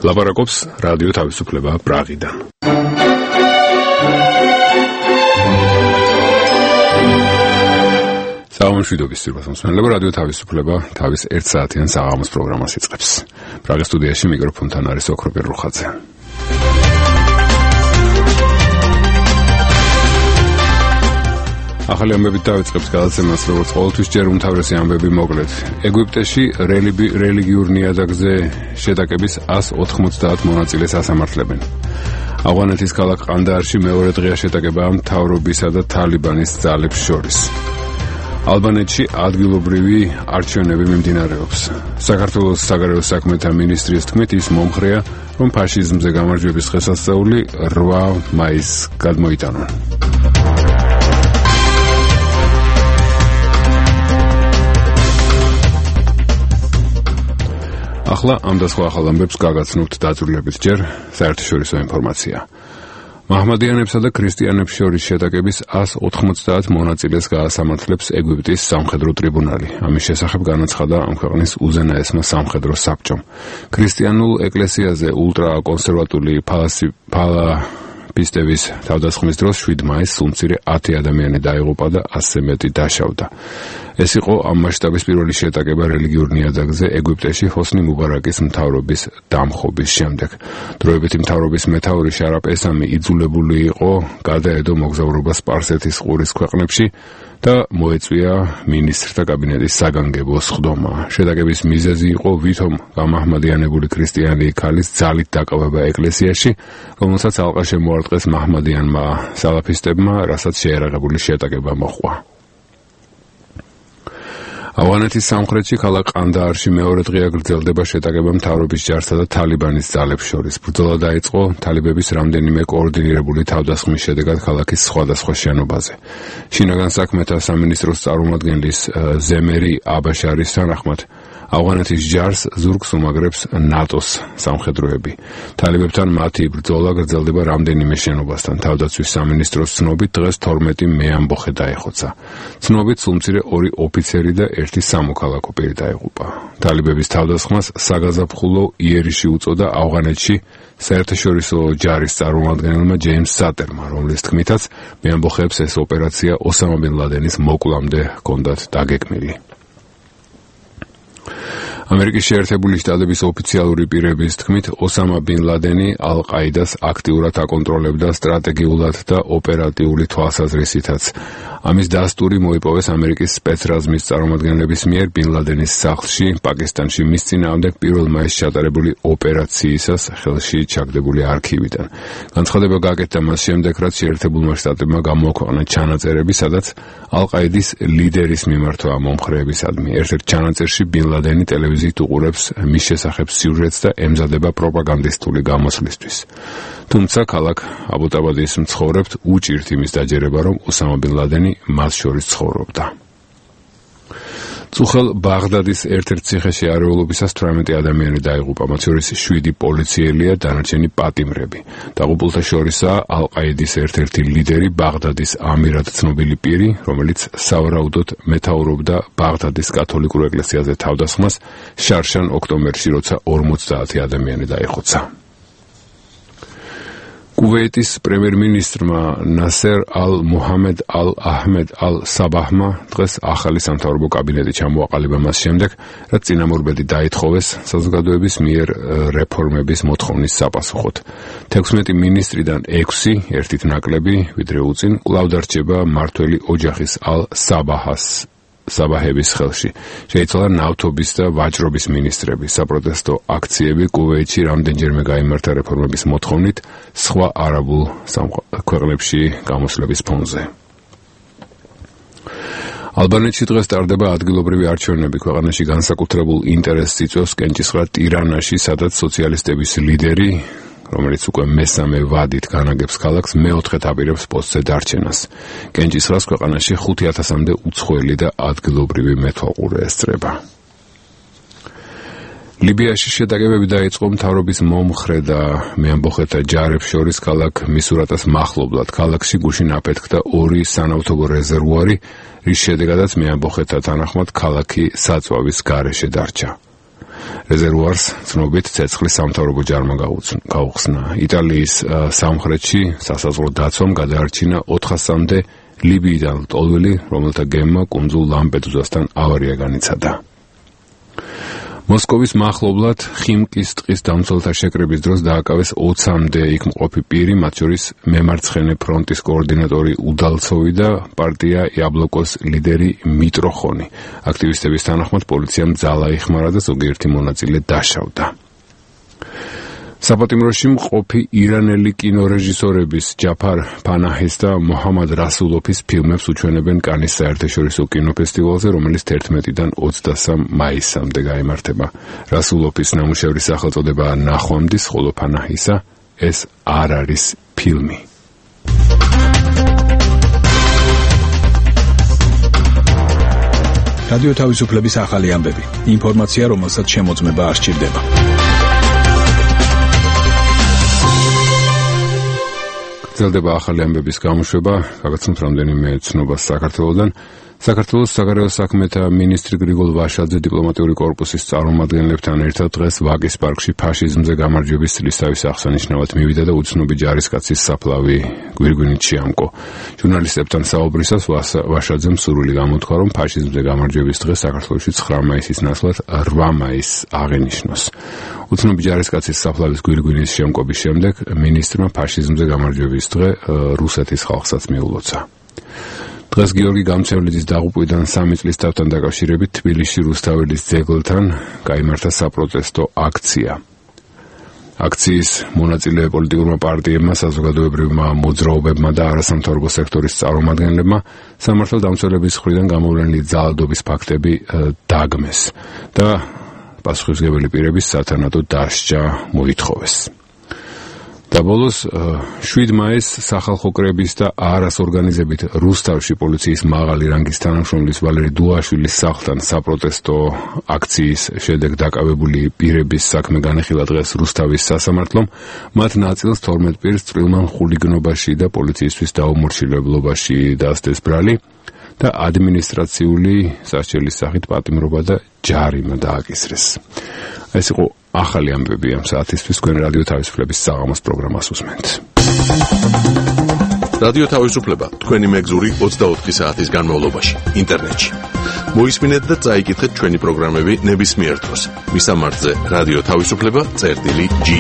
ლაპარაკობს რადიო თავისუფლება პრაღიდან. საამშვიდობის სიტყვას მოსმენელება რადიო თავისუფლება თავის 1 საათიან საღამოს პროგრამას იწყებს. პრაღის სტუდიაში მიკროფონთან არის ოქროპე რუხაძე. ახალი ამბებით დავიწყებთ გადაცემას, როგორც ყოველთვის ჯერ უმთავრესი ამბები მოკლედ. ეგვიპტეში რელიგიურ ნიადაგზე შეტაკების 190 მონაწილეს ასამართლებენ. ავღანეთის ქალაქ ყანდაარში მეორე დღეა შეტაკება მთავრობისა და თალიბანის ძალებს შორის. ალბანეთში ადგილობრივი არჩევნები მიმდინარეობს. საქართველოს საგარეო საქმეთა მინისტრის თქმით, ის მომხრეა, რომ ფაშიზმზე გამარჯვების დღესასწაული 8 მაისს გადმოიტანონ. ახლა ამ და სხვა ახალ ამბებს გაგაცნობთ დაწვრილებით ჯერ საერთაშორისო ინფორმაცია. მაჰმადიანებსა და ქრისტიანებს შორის შეტაკების 190 მონაწილეს გაასამართლებს ეგვიპტის სამხედრო ტრიბუნალი. ამის შესახებ განაცხადა ამ ქვეყნის უზენაესმა სამხედრო საბჭომ. ქრისტიანულ ეკლესიაზე ულტრაკონსერვატული ფალაფისტების თავდასხმის დროს 7 მაისს უმცირე 10 ადამიანი დაიღუპა და 100-ზე მეტი დაშავდა. ეს იყო ამ მასშტაბის პირველი შეტაკება რელიგიურ ნიადაგზე ეგვიპტეში ჰოსნი მუბარაკის მთავრობის დამხობის შემდეგ. დროებითი მთავრობის მეთაური შარაფ ესამი იძულებული იყო გადაედო მოგზაურობა სპარსეთის ყურის ქვეყნებში და მოეწვია მინისტრთა კაბინეტის საგანგებო სხდომა. შეტაკების მიზეზი იყო ვითომ გამაჰმადიანებული ქრისტიანი ქალის ძალით დაკავება ეკლესიაში, რომელსაც ალყა შემოარტყეს მაჰმადიანმა სალაფისტებმა, რასაც შეერაღებული შეტაკება მოჰყვა. ავღანეთის სამხრეთში ქალაქ ყანდაარში მეორე დღეა გრძელდება შეტაკება მთავრობის ჯარსა და თალიბანის ძალებს შორის. ბრძოლა დაიწყო თალიბების რამდენიმე კოორდინირებული თავდასხმის შედეგად ქალაქის სხვადასხვა შენობაზე. შინაგან საქმეთა სამინისტროს წარმომადგენლის ზემერი აბაშარის თანახმად ავღანეთის ჯარს ზურგს უმაგრებს ნატოს სამხედროები. თალებებთან მათი ბრძოლა გრძელდება რამდენიმე შენობასთან. თავდაცვის სამინისტროს ცნობით დღეს 12 მეამბოხე დაეხოცა. ცნობით სულმცირე 2 ოფიცერი და 1 სამოქალაქო პირი დაიღუპა. თალებების თავდასხმას საგაზაფხულო იერიში უწოდა ავღანეთში საერთაშორისო ჯარის წარმომადგენელმა ჯეიმს სატერმა, რომლის თქმითაც მეამბოხეებს ეს ოპერაცია ოსამა ბინ ლადენის მოკვლამდე ჰქონდათ დაგეგმილი. ამერიკის შეერთებული შტატების ოფიციალური პირების თქმით, ოსამა ბინ ლადენი ალ-ყაიდას აქტიურად აკონტროლებდა სტრატეგიულად და ოპერატიული თვალსაზრისითაც. ამის დასტური მოიპოვეს ამერიკის სპეცრაზმის წარმომადგენლების მიერ ბინ ლადენის სახლში, პაკისტანში მის წინააღმდეგ 1 მაისს ჩატარებული ოპერაციისას ხელში ჩაგდებული არქივიდან. განცხადება გაკეთდა მას შემდეგ, რაც შეერთებულმა შტატებმა გამოაქვეყნა ჩანაწერები, სადაც ალ-ყაიდის ლიდერის მიმართვა მომხრეებისადმი. ერთ-ერთ ჩანაწერში ბინ ლადენი ტელევიზიით უყურებს მის შესახებ სიუჟეტს და ემზადება პროპაგანდისტული გამოსვლისთვის. თუმცა ქალაქ აბუტაბადის მცხოვრებთ უჭირთ იმის დაჯერება, რომ ოსამა ბინ ლადენი მას შორის ცხოვრობდა. წუხელ ბაღდადის ერთ-ერთ ციხეში არეულობისას 18 ადამიანი დაიღუპა, მათ შორის 7 პოლიციელია, დანარჩენი პატიმრები. დაღუპულთა შორისაა ალ-ყაიდის ერთ-ერთი ლიდერი, ბაღდადის ამირად ცნობილი პირი, რომელიც სავარაუდოდ მეთაურობდა ბაღდადის კათოლიკურ ეკლესიაზე თავდასხმას შარშან ოქტომბერში, როცა 50 ადამიანი დაიხოცა. კუვეიტის პრემიერ-მინისტრმა ნასერ ალ-მუჰამედ ალ-აჰმედ ალ-საბაჰმა დღეს ახალი სამთავრობო კაბინეტი ჩამოაყალიბა მას შემდეგ, რაც წინამორბედი დაითხოვეს საზოგადოების მიერ რეფორმების მოთხოვნის საპასუხოდ. 16 მინისტრიდან 6, ერთით ნაკლები, ვიდრე უწინ, კვლავ დარჩება მმართველი ოჯახის საბაჰების ხელში. შეიცვალა ნავთობის და ვაჭრობის მინისტრები. საპროტესტო აქციები კუვეიტში რამდენჯერმე გაიმართა რეფორმების მოთხოვნით სხვა არაბულ ქვეყნებში გამოსვლების ფონზე. ალბანეთში დღეს ტარდება ადგილობრივი არჩევნები. ქვეყანაში განსაკუთრებულ ინტერესს იწვევს კენჭისყრა ტირანაში, სადაც სოციალისტების ლიდერი, რომელიც უკვე მესამე ვადით განაგებს ქალაქს, მეოთხედ აპირებს პოსტზე დარჩენას. კენჭისყრას ქვეყანაში 5,000-მდე უცხოელი და ადგილობრივი მეთვალყურე ესწრება. ლიბიაში შეტაკებები დაიწყო მთავრობის მომხრე და მეამბოხეთა ჯარებს შორის ქალაქ მისურატას მახლობლად. ქალაქში გუშინ აფეთქდა 2 სანავთობო რეზერვუარი, რის შედეგადაც მეამბოხეთა თანახმად ქალაქი საწვავის გარეშე დარჩა. რეზერვუარს ცნობით ცეცხლის სამთავრობო ჯარმა გაუხსნა. იტალიის სამხრეთში სასაზღვრო დაცვამ გადაარჩინა 400-მდე ლიბიიდან ლტოლვილი, რომელთა გემმა კუნძულ ლამპედუზასთან ავარია განიცადა. მოსკოვის მახლობლად ხიმკის ტყის დამცველთა შეკრების დროს დააკავეს 20-მდე იქ მყოფი პირი, მათ შორის მემარცხენე ფრონტის კოორდინატორი უდალცოვი და პარტია იაბლოკოს ლიდერი მიტროხონი. აქტივისტების თანახმად პოლიციამ ძალა იხმარა და ზოგიერთი მონაწილე დაშავდა. საპატიმროში მყოფი ირანელი კინორეჟისორების ჯაფარ ფანაჰის და მოჰამად რასულოფის ფილმებს უჩვენებენ კანის საერთაშორისო კინოფესტივალზე, რომელიც 11-დან 23 მაისამდე გაიმართება. რასულოფის ნამუშევრის სახელწოდებაა ნახვამდის, ხოლო ფანაჰისა ეს არ არის ფილმი. რადიო თავისუფლების ახალი ამბები. ინფორმაცია, რომელსაც შემოწმება არ სჭირდება. გრძელდება ახალი ამბების გამოშვება, გაგაცნობთ რამდენიმე ცნობას საქართველოდან. საქართველოს საგარეო საქმეთა მინისტრი გრიგოლ ვაშაძე დიპლომატიური კორპუსის წარმომადგენლებთან ერთად დღეს ვაკის პარკში ფაშიზმზე გამარჯვების წლისთავის აღსანიშნავად მივიდა და უცნობი ჯარისკაცის საფლავი გვირგვინით შეამკო. ჟურნალისტებთან საუბრისას ვაშაძემ სურვილი გამოთქვა, რომ ფაშიზმზე გამარჯვების დღე საქართველოში 9 მაისის ნაცვლად 8 მაისს აღენიშნოს. უცნობი ჯარისკაცის საფლავის გვირგვინის შემკობის შემდეგ მინისტრმა ფაშიზმზე გამარჯვების დღე რუსეთის ხალხსაც მიულოცა. დღეს გიორგი გამჩევლიძის დაღუპვიდან 3 წლის თავთან დაკავშირებით თბილისში რუსთაველის ძეგლთან გაიმართა საპროტესტო აქცია. აქციის მონაწილე პოლიტიკურმა პარტიებმა, საზოგადოებრივმა მოძრაობებმა და არასამთავრობო სექტორის წარმომადგენლებმა სამართალდამცველების მხრიდან გამოვლენილი ძალადობის ფაქტები დაგმეს და პასუხისმგებელი პირების სათანადო დასჯა მოითხოვეს. და ბოლოს 7 მაისს სახალხო კრების და არას ორგანიზებით რუსთავში პოლიციის მაღალი რანგის თანამშრომლის ვალერი დუაშვილის სახლთან საპროტესტო აქციის შედეგ დაკავებული პირების საქმე განეხილა დღეს რუსთავის სასამართლომ. მათ ნაწილს 12 პირს წვრილმან ხულიგნობაში და პოლიციისთვის დაუმორჩილებლობაში დასდეს ბრალი და ადმინისტრაციული სასჯელის სახით პატიმრობა და ჯარიმა დააკისრეს. ეს იყო ახალი ამბები ამ საათისთვის. თქვენ რადიო თავისუფლების საღამოს პროგრამას უსმენთ. რადიო თავისუფლება თქვენი მეგზური 24 საათის განმავლობაში ინტერნეტში. მოისმინეთ და წაიკითხეთ ჩვენი პროგრამები ნებისმიერ დროს. მისამართზე რადიო თავისუფლება.ge.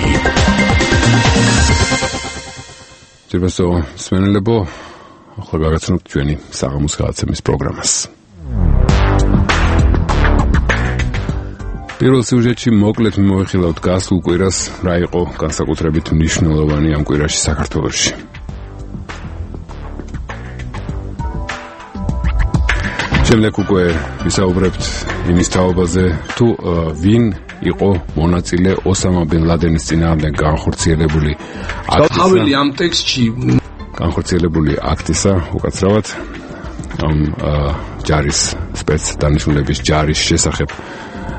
ძირფასო მსმენელებო, ახლა გაგაცნობთ ჩვენი საღამოს გადაცემის პროგრამას. პირველ სიუჟეტში მოკლედ მივეხილავთ გასულ კვირას, რა იყო განსაკუთრებით მნიშვნელოვანი ამ კვირაში საქართველოში. შემდეგ უკვე ვისაუბრებთ იმის თაობაზე, თუ ვინ იყო მონაწილე ოსამა ბენ ლადენის წინააღმდეგ განხორციელებული აქტისა, უკაცრავად ამ ჯარის სპეცდანიშნულების ჯარის შესახებ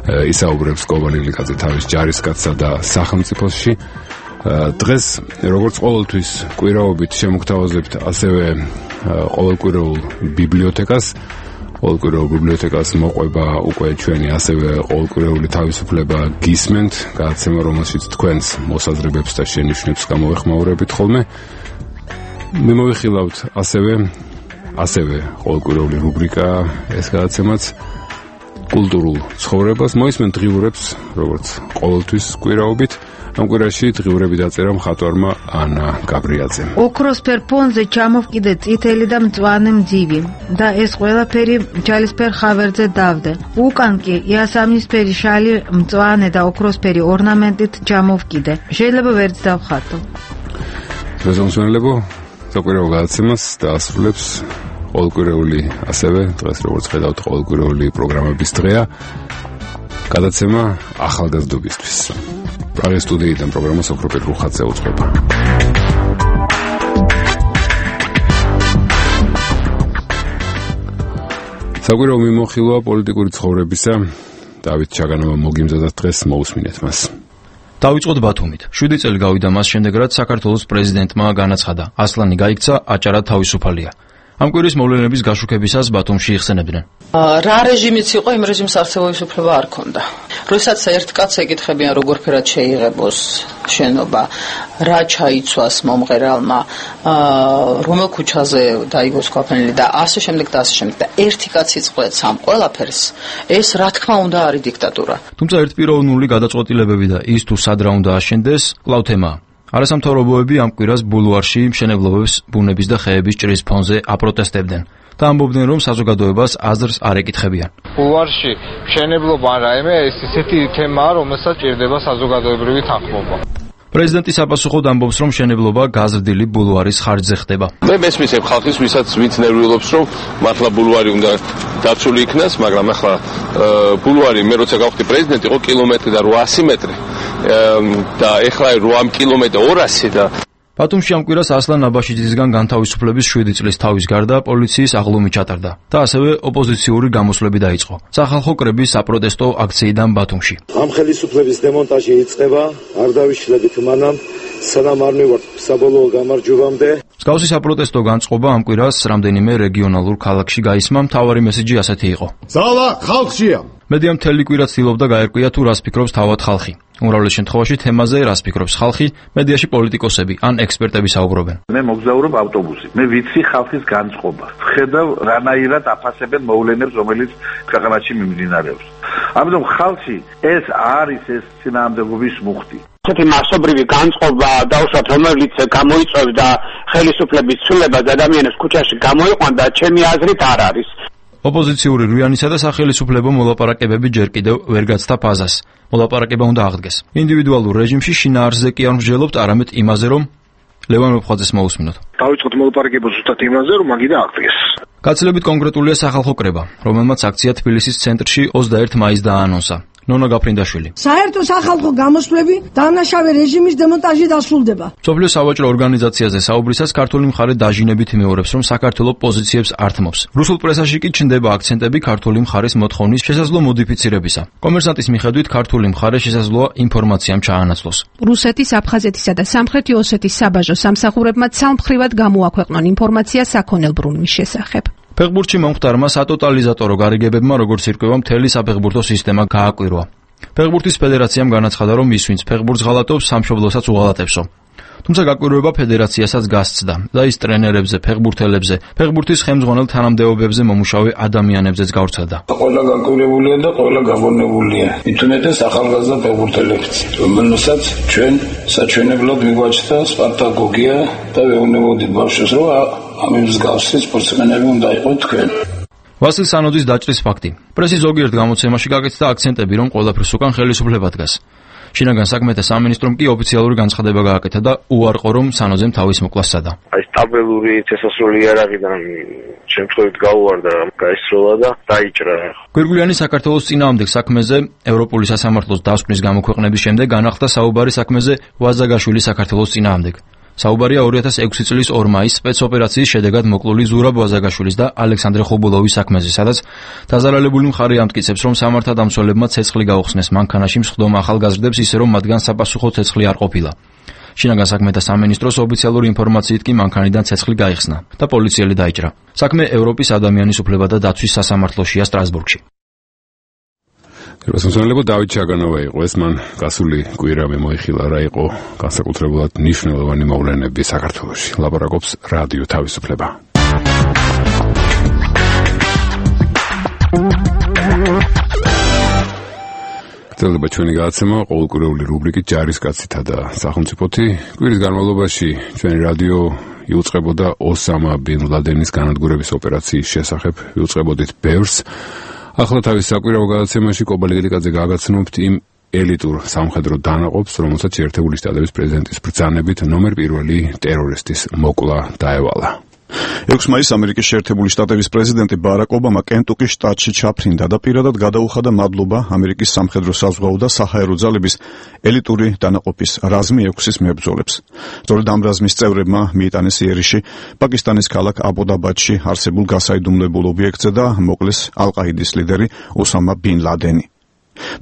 ისაუბრებს კობალი ლიკაძე თავის ჯარისკაცსა და სახელმწიფოში. დღეს როგორც ყოველთვის კვირაობით შემოგთავაზებთ ასევე ყოველკვირეულ ბიბლიოთეკას. ყოველკვირეულ ბიბლიოთეკას მოყვება უკვე ჩვენი ასევე ყოველკვირეული თავისუფლება გისმენთ, გადაცემა, რომელშიც თქვენს მოსაზრებებს და შენიშვნებს გამოვეხმაურებით ხოლმე. მიმოვიხილავთ ასევე ყოველკვირეული რუბრიკა ეს გადაცემაც კულტურულ ცხოვრებას. მოისმენთ დღიურებს, როგორც ყოველთვის კვირაობით. ამ კვირაში დღიურები დაწერა მხატვარმა ანა გაბრიაძემ. ოქროსფერ ფონზე ჩამოვკიდე წითელი და მწვანე მძივი და ეს ყველაფერი ჯალისფერ ხავერზე დავდე. უკან კი იასამნისფერი შალი მწვანე და ოქროსფერი ორნამენტით ჩამოვკიდე. შეიძლება ვერც დავხატო. ზოგადად საკვირაო გადაცემას დაასრულებს ყოველკვირეული, ასევე დღეს როგორც ხედავთ ყოველკვირეული პროგრამების დღეა, გადაცემა ახალგაზრდობისთვის. პრაღის სტუდიიდან პროგრამა სოფროპერ რუხაძე უძღვება. საკვირაო მიმოხილვა პოლიტიკური ცხოვრებისა დავით ჩაგანოვმა მოგიმზადა დღეს, მოусმინეთ მას. დავიწყოთ ბათუმით. 7 წელი გავიდა მას შემდეგ, რაც საქართველოს პრეზიდენტმა განაცხადა, ასლანი გაიქცა, აჭარა თავისუფალია. ამ კვირის მოვლენების გაშუქებისას ბათუმში იხსენებდნენ. რა რეჟიმიც იყო, იმ რეჟიმს არსებობის უფლება არ ქონდა. როდესაც ერთ კაცს ეკითხებიან, როგორ ფერად შეიღებოს შენობა, რა ჩაიცვას მომღერალმა, რომელ ქუჩაზე დაიგოს ქვაფენილი და ასე შემდეგ და ასე შემდეგ და ერთი კაცი წყვეტს ამ ყველაფერს, ეს რა თქმა უნდა არის დიქტატურა. თუმცა ერთპიროვნული გადაწყვეტილებები და ის თუ სად რა უნდა აშენდეს, კვლავ თემაა. არასამთავრობოები ამ კვირას ბულვარში მშენებლობებს ბუნების და ხეების ჭრის ფონზე აპროტესტებდნენ და ამბობდნენ, რომ საზოგადოებას აზრს არ ეკითხებიან. ბულვარში მშენებლობა არა, ეს ისეთი თემაა, რომელსაც ჭირდება საზოგადოებრივი თანხმობა. პრეზიდენტი საპასუხოდ ამბობს, რომ მშენებლობა გაზრდილი ბულვარის ხარჯზე ხდება. მე მესმისებ ხალხის, ვინც ნერვიულობს, რომ მართლა ბულვარი უნდა დაცული იქნას, მაგრამ ახლა ბულვარი მე როცა გავხდი პრეზიდენტი, იყო კილომეტრი და 800 მეტრი და ეხლა 8 კილომეტრი 200 და ბათუმში ამ კვირას ასლან აბაშიძისგან განთავისუფლების 7 წლის თავის გარდა პოლიციის აღლუმი ჩატარდა და ასევე ოპოზიციური გამოსვლები დაიწყო. სახალხო კრების საპროტესტო აქციიდან ბათუმში. ამ ხელისუფლების დემონტაჟი იწყება, არ დავიშლებით მანამ, სანამ არ მივართ საბოლოო გამარჯვებამდე. მსგავსი საპროტესტო განწყობა ამ კვირას რამდენიმე რეგიონალურ ქალაქში გაისმა, მთავარი მესიჯი ასეთი იყო. ძალა ხალხშია. მედია მთელი კვირა ცდილობდა გაერკვია თუ რას ფიქრობს თავად ხალხი. უმრავლეს შემთხვევაში თემაზე რას ფიქრობს ხალხი, მედიაში პოლიტიკოსები ან ექსპერტები საუბრობენ. მე მოგზაურობ ავტობუსით. მე ვიცი ხალხის განწყობა. ვხედავ რანაირად აფასებენ მოვლენებს, რომელიც ქვეყანაში მიმდინარეობს. ამიტომ ხალხი ეს არის ეს წინააღმდეგობის მუხტი. ესეთი მასობრივი განწყობა დაუშვათ, რომელიც გამოიწვევდა ხელისუფლების ცვლილებას ადამიანებს ქუჩაში გამოიყვან და ჩემი აზრით არ არის. ოპოზიციური რუიანისა და სახელისუფლებო მოლაპარაკებები ჯერ კიდევ ვერ გაცდა ფაზას. მოლაპარაკება უნდა აღდგეს. ინდივიდუალურ რეჟიმში შინაარსზე კი არ მსჯელობთ, არამედ იმაზე, რომ ლევან მოფხაძეს მოусმინოთ. დავიწყოთ მოლაპარაკება ზუსტად იმაზე, რომ მაგიდა აღდგეს. გაცილებით კონკრეტულია სახალხო კრება, რომელმაც აქცია თბილისის ცენტრში 21 მაისს დააანონსა. ნონა გაფრინდაშვილი. საერთო სახალხო გამოსვლები დანაშავე რეჟიმის დემონტაჟით დასრულდება. მსოფლიო სავაჭრო ორგანიზაციაზე საუბრისას ქართული მხარე დაჟინებით იმეორებს, რომ საქართველოს პოზიციებს ართმობს. რუსულ პრესაში კი ჩნდება აქცენტები ქართული მხარის მოთხოვნის შესაძლო მოდიფიცირებისა. კომერსანტის მიხედვით ქართული მხარე შესაძლოა ინფორმაციამ ჩაანაცვლოს. რუსეთის, აფხაზეთისა და სამხრეთი ოსეთის საბაჟო სამსახურებმა ცალმხრივად გამოაქვეყნონ ინფორმაცია საქონელ ბრუნვის შესახებ. ფეხბურთში მომხდარმა სატოტალიზატორო გარიგებებმა როგორც ირკვევა მთელი საფეხბურთო სისტემა გააკვირვა. ფეხბურთის ფედერაციამ განაცხადა, რომ ის ვინც ფეხბურთს ღალატობს, სამშობლოსაც უღალატებსო. თუმცა გაკვირვება ფედერაციასაც გასცდა და ის ტრენერებზე, ფეხბურთელებზე, ფეხბურთის ხელმძღვანელ თანამდებობებზე მომუშავე ადამიანებზეც გავრცელდა. ყველა გაკვირვებულია და ყველა გაბონებულია. მithumetes ახალგაზრდა ფეხბურთელებიც, რომელსაც ჩვენ საჩვენებლად მიგვაჩნდა სპარტაკოგია და ვეუბნებოდით ბავშვებს, რომ ამ მსგავსი სპორტსმენები უნდა იყოს თქვენ. ვასილ სანოძის დაჭრის ფაქტი. პრესის ზოგიერთ გამოცემაში გაკეთდა აქცენტები, რომ ყველაფერს უკან ხელისუფლება დგას. შინაგან საქმეთა სამინისტრომ კი ოფიციალური განცხადება გააკეთა და უარყო, რომ სანოძემ თავის მოკლა სცადა. აი სტაბილური წესასწაული იარაღიდან შემთხვევით გაუვარდა, გაისროლა და დაიჭრა. გვირგვლიანი საქართველოს წინააღმდეგ საქმეზე ევროპული სასამართლოს დასკვნის გამოქვეყნების შემდეგ განახლდა საუბარი საქმეზე ვაზაგაშვილის საქართველოს წინააღმდეგ. საუბარია 2006 წლის 2 მაისს სპეცოპერაციის შედეგად მოკლული ზურაბ ვაზაგაშვილის და ალექსანდრე ხობულოვის საქმეზე, სადაც დაზარალებული მხარე ამტკიცებს, რომ სამართალდამცველებმა ცეცხლი გაუხსნეს მანქანაში მსხდომ ახალგაზრდებს, ისე რომ მათგან საპასუხო ცეცხლი არ ყოფილა. შინაგან საქმეთა სამინისტროს ოფიციალური ინფორმაციით კი მანქანიდან ცეცხლი გაიხსნა და პოლიციელი დაიჭრა. საქმე ევროპის ადამიანის უფლებათა დაცვის სასამართლოშია სტრასბურგში. რუსთაველებო დავით ჩაგანოვა იყო ეს, მან გასული კვირა მოიხილა რა იყო განსაკუთრებულად მნიშვნელოვანი მოვლენები საქართველოში. ლაპარაკობს რადიო თავისუფლება. გრძელდება ჩვენი გადაცემა ყოველკვირეული რუბრიკით ჯარისკაცითა და სახელმწიფოთი. კვირის განმავლობაში ჩვენი რადიო იუწყებოდა ოსამა ბინ ლადენის განადგურების ოპერაციის შესახებ, იუწყებოდით ბევრს. ახლა თავის საკვირაო გადაცემაში კობალიკაძე გააგაცნობთ იმ ელიტურ სამხედრო დანაყოფს, რომელსაც შეერთებული შტატების პრეზიდენტის ბრძანებით ნომერ 1 ტერორისტის მოკლა დაევალა. 6 მაისს ამერიკის შეერთებული შტატების პრეზიდენტი ბარაკ ობამა კენტუკის შტატში ჩაფრინდა და პირადად გადაუხადა მადლობა ამერიკის სამხედრო საზღვაო და საჰაერო ძალების ელიტური დანაყოფის რაზმი 6-ის მებრძოლებს. სწორედ ამ რაზმის წევრებმა მიიტანეს იერიში პაკისტანის ქალაქ აბოდაბადში არსებულ გასაიდუმლებულ ობიექტზე და მოკლეს ალ-ყაიდის ლიდერი ოსამა ბინ ლადენი.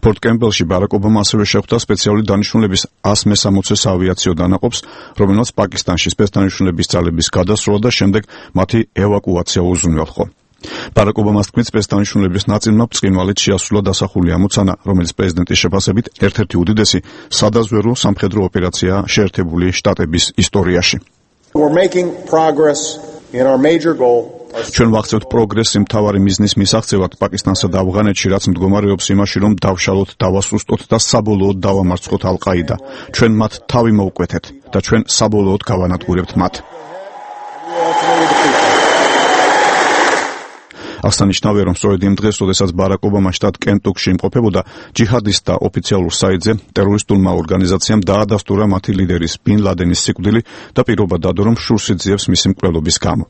პორტ კემპბელში ბარაკ ობამა ასევე შეხვდა სპეციალური დანიშნულების 160 ავიაციო დანაყოფს, რომელსაც პაკისტანში სპეცდანიშნულების ძალების გადასროლა და შემდეგ მათი ევაკუაცია უზრუნველყო. ბარაკ ობამას თქმით, სპეცდანიშნულების ნაწილმა ბრწყინვალედ შეასრულა დასახული ამოცანა, რომელიც პრეზიდენტის შეფასებით ერთ-ერთი უდიდესი სადაზვერვო სამხედრო ოპერაციაა შეერთებული შტატების ისტორიაში. We're making progress in our major goal. ჩვენ ვახცევთ პროგრესს მთავარი მიზნის მისაღწევად პაკისტანსა და ავღანეთში, რაც მდგომარეობს იმაში, რომ დავშალოთ, დავასუსტოთ და საბოლოოდ დავამარცხოთ ალ-ყაიდა. ჩვენ მათ თავი მოვკვეთეთ და ჩვენ საბოლოოდ გავანადგურებთ მათ. აღსანიშნავია, რომ სწორედ იმ დღეს, როდესაც ბარაკ ობამა შტატ კენტუკში იმყოფებოდა, ჯიჰადისტთა ოფიციალურ საიტზე ტერორისტულმა ორგანიზაციამ დაადასტურა მათი ლიდერის ბინ ლადენის სიკვდილი და პირობა დადო, რომ შურს იძიებს მისი მკვლელობის გამო.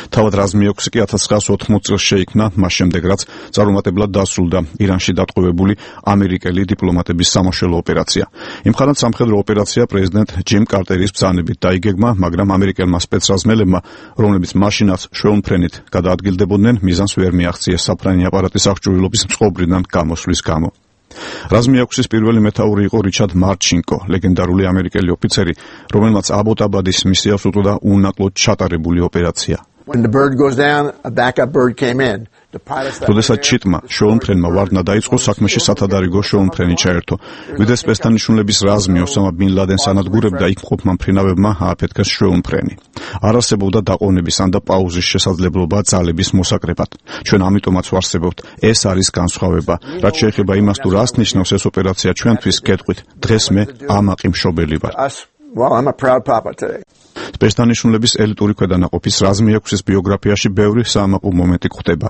თავად რაზმი 6 კი 1980 წელს შეიქმნა, მას შემდეგ რაც წარუმატებლად დასრულდა ირანში დატყვევებული ამერიკელი დიპლომატების სამაშველო ოპერაცია. იმხანად სამხედრო ოპერაცია პრეზიდენტ ჯიმ კარტერის ბრძანებით დაიგეგმა, მაგრამ ამერიკელმა სპეცრაზმელებმა, რომლებიც მაშინაც შვეულმფრენით გადაადგილდებოდნენ, მიზანს ვერ მიაღწიეს საფრენი აპარატის აღჭურვილობის მწყობრიდან გამოსვლის გამო. რაზმი 6-ის პირველი მეთაური იყო რიჩარდ მარჩინკო, ლეგენდარული ამერიკელი ოფიცერი, რომელმაც აბოტაბადის მისიას უწოდა უნაკლოდ ჩატარებული ოპერაცია. When the bird goes down, a backup bird came in. როდესაც ჩიტმა შვეულმფრენმა ვარდნა დაიწყო, საქმეში სათადარიგო შვეულმფრენი ჩაერთო. ვიდრე სპეცდანიშნულების რაზმი ოსამა ბინ ლადენს ანადგურებდა, იქ მყოფმა მფრინავებმა ააფეთქეს შვეულმფრენი. არ არსებობდა დაყოვნების ან და პაუზის შესაძლებლობა ძალების მოსაკრებად. ჩვენ ამიტომაც ვარსებობთ, ეს არის განსხვავება. რაც შეეხება იმას, თუ რას ნიშნავს ეს ოპერაცია ჩვენთვის, გეტყვით, დღეს მე ამაყი მშობელი ვარ. Well, I'm a proud papa today. სპეცდანიშნულების ელიტური ქვედანაყოფის რაზმი 6-ის ბიოგრაფიაში ბევრი საამაყო მომენტი გვხვდება.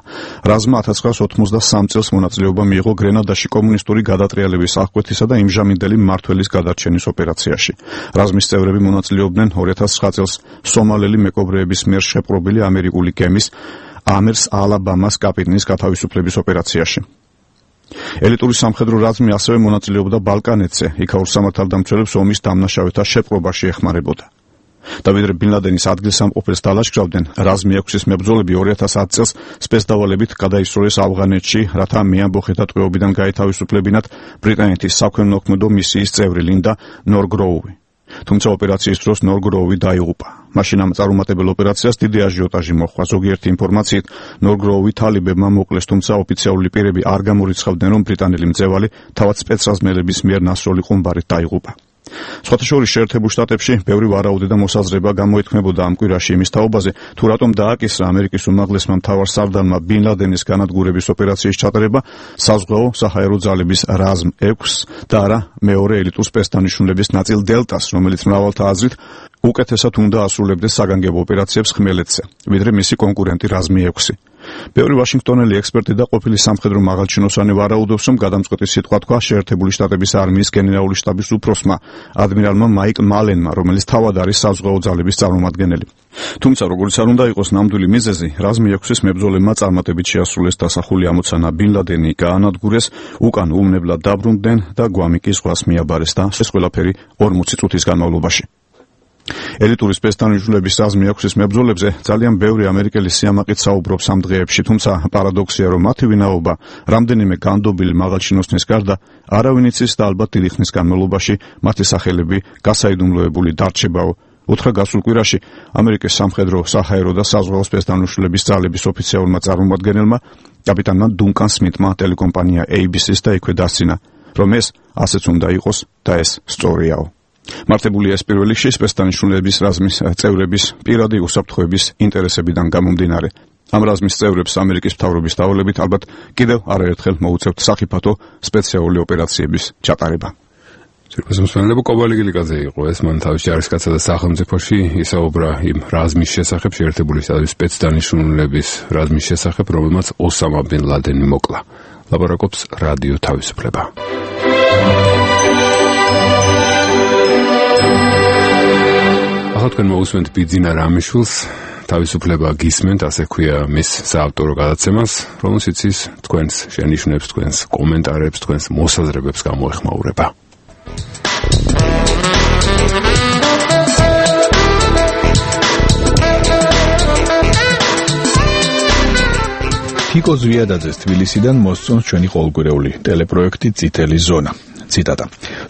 რაზმმა 1983 წელს მონაწილეობა მიიღო გრენადაში კომუნისტური გადატრიალების აღკვეთისა და იმჟამინდელი მმართველის გადარჩენის ოპერაციაში. რაზმის წევრები მონაწილეობდნენ 2009 წელს სომალელი მეკობრეების მიერ შეპყრობილი ამერიკული გემის ამერს ალაბამას კაპიტნის გათავისუფლების ოპერაციაში. ელიტური სამხედრო რაზმი ასევე მონაწილეობდა ბალკანეთზე, იქ ურსამართალდამცველებს ომის დამნაშავეთა შეპყრობაში ეხმარებოდა. და ვიდრე ბინ ლადენის ადგილსამყოფელს დალაშქრავდნენ, რაზმი 6-ის მებრძოლები 2010 წელს სპეცდავალებით გადაისროლეს ავღანეთში, რათა მეამბოხეთა ტყვეობიდან გაეთავისუფლებინათ ბრიტანეთის საქველმოქმედო მისიის წევრი ლინდა ნორგროუვი. თუმცა ოპერაციის დროს ნორგროუვი დაიღუპა. მაშინ ამ წარუმატებელ ოპერაციას დიდი აჟიოტაჟი მოჰყვა. ზოგიერთი ინფორმაციით ნორგროუვი თალიბებმა მოკლეს, თუმცა ოფიციალური პირები არ გამორიცხავდნენ, რომ ბრიტანელი მძევალი თავად სპეცრაზმელების მიერ ნასროლი ყუმბარით დაიღუპა. სხვათა შორის შეერთებულ შტატებში ბევრი ვარაუდი და მოსაზრება გამოითქმებოდა ამ კვირაში იმის თაობაზე, თუ რატომ დააკისრა ამერიკის უმაღლესმა მთავარ სარდალმა ბინ ლადენის განადგურების ოპერაციის ჩატარება საზღვაო საჰაერო ძალების რაზმ 6 და არა მეორე ელიტურ სპეცდანიშნულების ნაწილ დელტას, რომელიც მრავალთა აზრით უკეთესად უნდა ასრულებდეს საგანგებო ოპერაციებს ხმელეთზე, ვიდრე მისი კონკურენტი რაზმი 6. ბევრი ვაშინგტონელი ექსპერტი და ყოფილი სამხედრო მაღალჩინოსანი ვარაუდობს, რომ გადამწყვეტი სიტყვა თქვა შეერთებული შტატების არმიის გენერალური შტაბის უფროსმა ადმირალმა მაიკ მალენმა, რომელიც თავად არის საზღვაო ძალების წარმომადგენელი. თუმცა როგორც არ უნდა იყოს ნამდვილი მიზეზი, რაზმი 6-ის მებრძოლებმა წარმატებით შეასრულეს დასახული ამოცანა, ბინ ლადენი გაანადგურეს, უკან უვნებლად დაბრუნდნენ და გვამი კი ზღვას მიაბარეს და ეს ყველაფერი 40 წუთის განმავლობაში. ელიტური სპეცდანიშნულების რაზმი 6-ის მებრძოლებზე ძალიან ბევრი ამერიკელი სიამაყით საუბრობს ამ დღეებში, თუმცა პარადოქსია, რომ მათი ვინაობა რამდენიმე განდობილი მაღალჩინოსნის გარდა არავინ იცის და ალბათ დიდი ხნის განმავლობაში მათი სახელები გასაიდუმლოებული დარჩებაო. უთხრა გასულ კვირაში ამერიკის სამხედრო, საჰაერო და საზღვაო სპეცდანიშნულების ძალების ოფიციალურმა წარმომადგენელმა კაპიტანმა დუნკან სმითმა ტელეკომპანია ABC-ს და იქვე დასცინა, რომ ეს ასეც უნდა იყოს და ეს სწორიაო. მართებულია ეს პირველ რიგში სპეცდანიშნულების რაზმის წევრების პირადი უსაფრთხოების ინტერესებიდან გამომდინარე. ამ რაზმის წევრებს ამერიკის მთავრობის დავალებით ალბათ კიდევ არაერთხელ მოუწევთ სახიფათო სპეციალური ოპერაციების ჩატარება. ძირფესმსმენელები კობალი გილიკაძე იყო ეს, მან თავის ჯარისკაცსა და სახელმწიფოში ისაუბრა იმ რაზმის შესახებ, შეერთებული შტატების სპეცდანიშნულების რაზმის შესახებ, რომელმაც ოსამა ბინ ლადენი მოკლა. ლაპარაკობს რადიო თავისუფლება. ახლა თქვენ მოусმენთ ბიძინა რამიშვილს, თავისუფლება გისმენთ, ასე ქვია მის საავტორო გადაცემას, რომელშიც ის თქვენს შენიშვნებს, თქვენს კომენტარებს, თქვენს მოსაზრებებს გამოეხმაურება. ფიკო ზვიადაძეს თბილისიდან მოსწონს ჩვენი ყოველკვირეული ტელეპროექტი წითელი ზონა. ციტატა.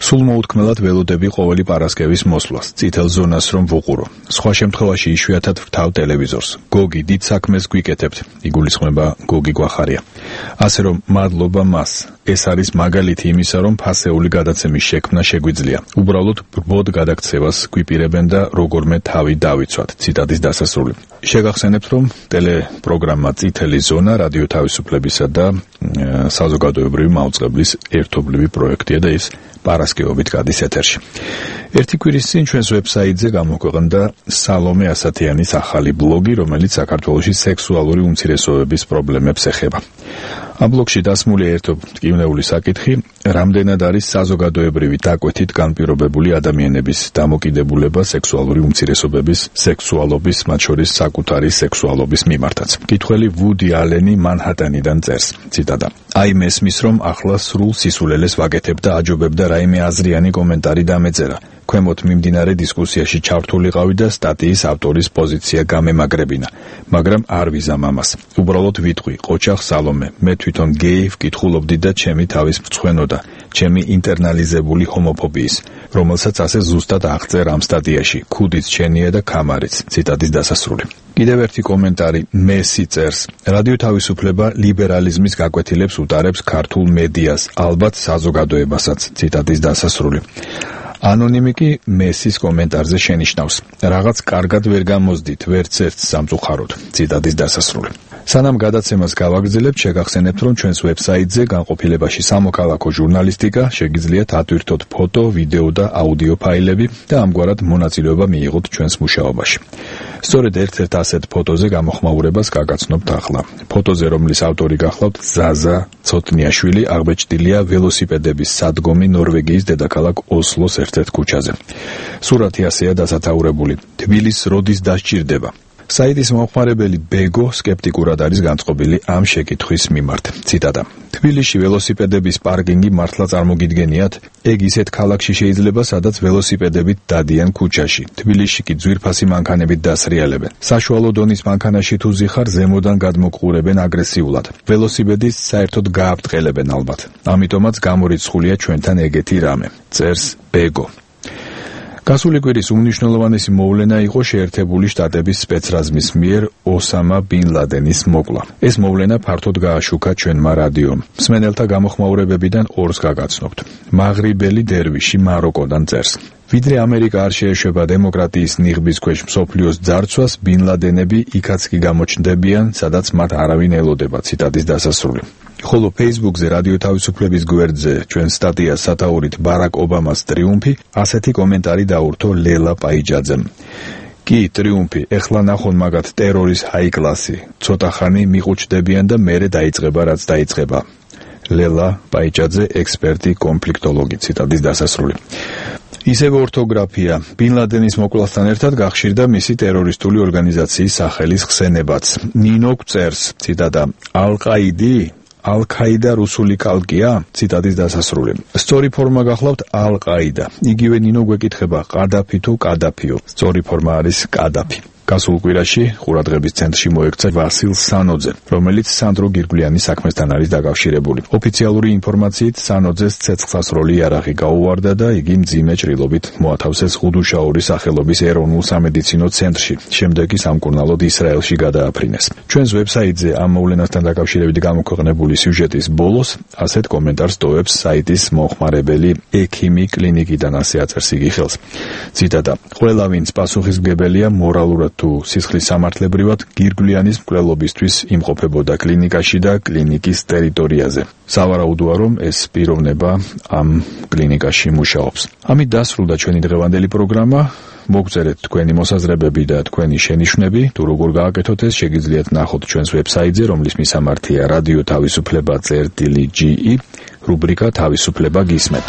სულ მოუთქმელად ველოდები ყოველი პარასკევის მოსვლას, წითელ ზონას რომ ვუყურო. სხვა შემთხვევაში იშვიათად ვთავ ტელევიზორს. გოგი დიდ საქმეს გვიკეთებთ. იგულისხმება გოგი გვახარია. ასე რომ მადლობა მას. ეს არის მაგალითი იმისა, რომ ფასეული გადაცემის შექმნა შეგვიძლია. უბრალოდ ბრბოდ გადაქცევას გვიპირებენ და როგორმე თავი დავიცვათ. ციტატის დასასრული. შეგახსენებთ, რომ ტელეპროგრამა წითელი ზონა რადიო თავისუფლებისა და საზოგადოებრივი მაუწყებლის ერთობლივი პროექტია და ის პარასკევობით გადის ეთერში. ერთი კვირის წინ ჩვენს ვებსაიტზე გამოქვეყნდა სალომე ასათიანის ახალი ბლოგი, რომელიც საქართველოში სექსუალური უმცირესობების პრობლემებს ეხება. ამ ბლოგში დასმულია ერთო მტკივნეული საკითხი, რამდენად არის საზოგადოებრივი დაკვეთით განპირობებული ადამიანების დამოკიდებულება სექსუალური უმცირესობების, სექსუალობის, მათ შორის საკუთარი სექსუალობის მიმართაც. მკითხველი ვუდი ალენი მანჰატენიდან წერს, ციტატა. აი მესმის, რომ ახლა სრულ სისულელეს ვაკეთებ და აჯობებ და რაიმე აზრიანი კომენტარი დამეწერა. ქვემოთ მიმდინარე დისკუსიაში ჩართულიყავი და სტატიის ავტორის პოზიცია გამემაგრებინა, მაგრამ არ ვიზამ ამას. უბრალოდ ვიტყვი, ყოჩახ სალომე, მე თვითონ გეი ვკითხულობდი და ჩემი თავის მწვენოდა, ჩემი ინტერნალიზებული ჰომოფობიის, რომელსაც ასე ზუსტად აღწერ ამ სტატიაში, ქუდიც ჩენია და ქამარიც. ციტატის დასასრული. კიდევ ერთი კომენტარი მესი წერს. რადიო თავისუფლება ლიბერალიზმის გაკვეთილებს უტარებს ქართულ მედიას, ალბათ საზოგადოებასაც. ციტატის დასასრული. ანონიმი კი მესის კომენტარზე შენიშნავს. რაღაც კარგად ვერ გამოსდით, ვერც ერთ სამწუხაროდ. ციტატის დასასრული. სანამ გადაცემას გავაგრძელებთ, შეგახსენებთ, რომ ჩვენს ვებსაიტზე განყოფილებაში სამოქალაქო ჟურნალისტიკა შეგიძლიათ ატვირთოთ ფოტო, ვიდეო და აუდიო ფაილები და ამგვარად მონაწილეობა მიიღოთ ჩვენს მუშაობაში. სწორედ ერთ-ერთ ასეთ ფოტოზე გამოხმაურებას გაგაცნობთ ახლა. ფოტოზე, რომლის ავტორი გახლავთ ზაზა ცოტნიაშვილი, აღბეჭდილია ველოსიპედების სადგომი ნორვეგიის დედაქალაქ ოსლოს ერთ-ერთ ქუჩაზე. სურათი ასეა დასათაურებული. თბილისს როდის დასჭირდება? საიტის მომხმარებელი ბეგო სკეპტიკურად არის განწყობილი ამ შეკითხვის მიმართ. ციტატა. თბილისში ველოსიპედების პარკინგი მართლა წარმოგიდგენიათ? ეგ ისეთ ქალაქში შეიძლება, სადაც ველოსიპედებით დადიან ქუჩაში. თბილისში კი ძვირფასი მანქანებით დასრიალებენ. საშუალო დონის მანქანაში თუ ზიხარ, ზემოდან გადმოყურებენ აგრესიულად. ველოსიპედით საერთოდ გააბტყელებენ ალბათ. ამიტომაც გამორიცხულია ჩვენთან ეგეთი რამე. წერს ბეგო. გასული კვირის უმნიშვნელოვანესი მოვლენა იყო შეერთებული შტატების სპეცრაზმის მიერ ოსამა ბინ ლადენის მოკლა. ეს მოვლენა ფართოდ გააშუქა ჩვენმა რადიომ. მსმენელთა გამოხმაურებებიდან ორს გაგაცნობთ. მაღრიბელი დერვიში მაროკოდან წერს. ვიდრე ამერიკა არ შეეშვება დემოკრატიის ნიღბის ქვეშ მსოფლიოს ძარცვას, ბინ ლადენები იქაც კი გამოჩნდებიან, სადაც მათ არავინ ელოდება. ციტატის დასასრული. ხოლო Facebook-ზე რადიო თავისუფლების გვერდზე ჩვენ სტატიას სათაურით ბარაკ ობამას ტრიუმფი, ასეთი კომენტარი დაურთო ლელა პაიჯაძემ. კი, ტრიუმფი, ეხლა ნახონ მაგათ ტერორის ჰაი კლასი. ცოტა ხანი მიყუჩდებიან და მერე დაიწყება რაც დაიწყება. ლელა პაიჯაძე, ექსპერტი, კონფლიქტოლოგი. ციტატის დასასრული. ისევე ორთოგრაფია. ბინ ლადენის მოკვლასთან ერთად გახშირდა მისი ტერორისტული ორგანიზაციის სახელის ხსენებაც. ნინო წერს, ციტატა, ალ-ყაიდი ალ-ქაიდა რუსული კალკია? ციტატის დასასრული. სწორი ფორმა გახლავთ ალ-ყაიდა. იგივე ნინო გვეკითხება, ყადაფი თუ კადაფიო? სწორი ფორმა არის კადაფი. გასულ კვირაში ყურადღების ცენტრში მოექცა ვასილ სანოძე, რომელიც სანდრო გირგვლიანის საქმესთან არის დაკავშირებული. ოფიციალური ინფორმაციით სანოძეს ცეცხლსასროლი იარაღი გაუვარდა და იგი მძიმე ჭრილობით მოათავსეს ხუდუშაურის სახელობის ეროვნულ სამედიცინო ცენტრში. შემდეგ ის სამკურნალოდ ისრაელში გადააფრინეს. ჩვენს ვებსაიტზე ამ მოვლენასთან დაკავშირებით გამოქვეყნებული სიუჟეტის ბოლოს ასეთ კომენტარს ტოვებს საიტის მომხმარებელი ექიმი კლინიკიდან, ასე აწერს იგი ხელს. ციტატა. ყველა ვინც პასუხისმგებელია მორალურად თუ სისხლის სამართლებრივად გირგვლიანის მკვლელობისთვის იმყოფებოდა კლინიკაში და კლინიკის ტერიტორიაზე. სავარაუდოა, რომ ეს პიროვნება ამ კლინიკაში მუშაობს. ამით დასრულდა ჩვენი დღევანდელი პროგრამა. მოგწერეთ თქვენი მოსაზრებები და თქვენი შენიშვნები, თუ როგორ გააკეთოთ ეს შეგიძლიათ ნახოთ ჩვენს ვებსაიტზე, რომლის მისამართია რადიო თავისუფლება.ge, რუბრიკა თავისუფლება გისმენთ.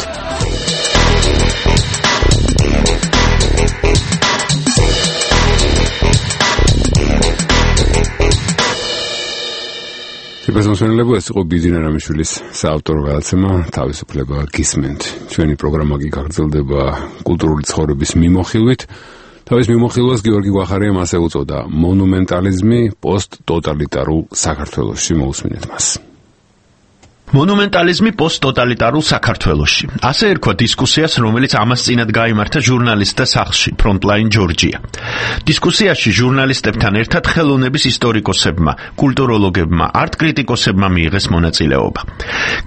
სიბესმოსმენელებო, ეს იყო ბიზინა რამიშვილის საავტორო გადაცემა თავისუფლება გისმენთ. ჩვენი პროგრამა კი გაგრძელდება კულტურული ცხოვრების მიმოხილვით. თავის მიმოხილვას გიორგი გვახარიამ ასე უწოდა მონუმენტალიზმი პოსტტოტალიტარულ საქართველოში. მოусმინეთ მას. მონუმენტალიზმი პოსტტოტალიტარულ საქართველოში. ასე ერქვა დისკუსიას, რომელიც ამას წინათ გაიმართა ჟურნალისტთა სახლში, Frontline Georgia. დისკუსიაში ჟურნალისტებთან ერთად ხელოვნების ისტორიკოსებმა, კულტუროლოგებმა, არტკრიტიკოსებმა მიიღეს მონაწილეობა.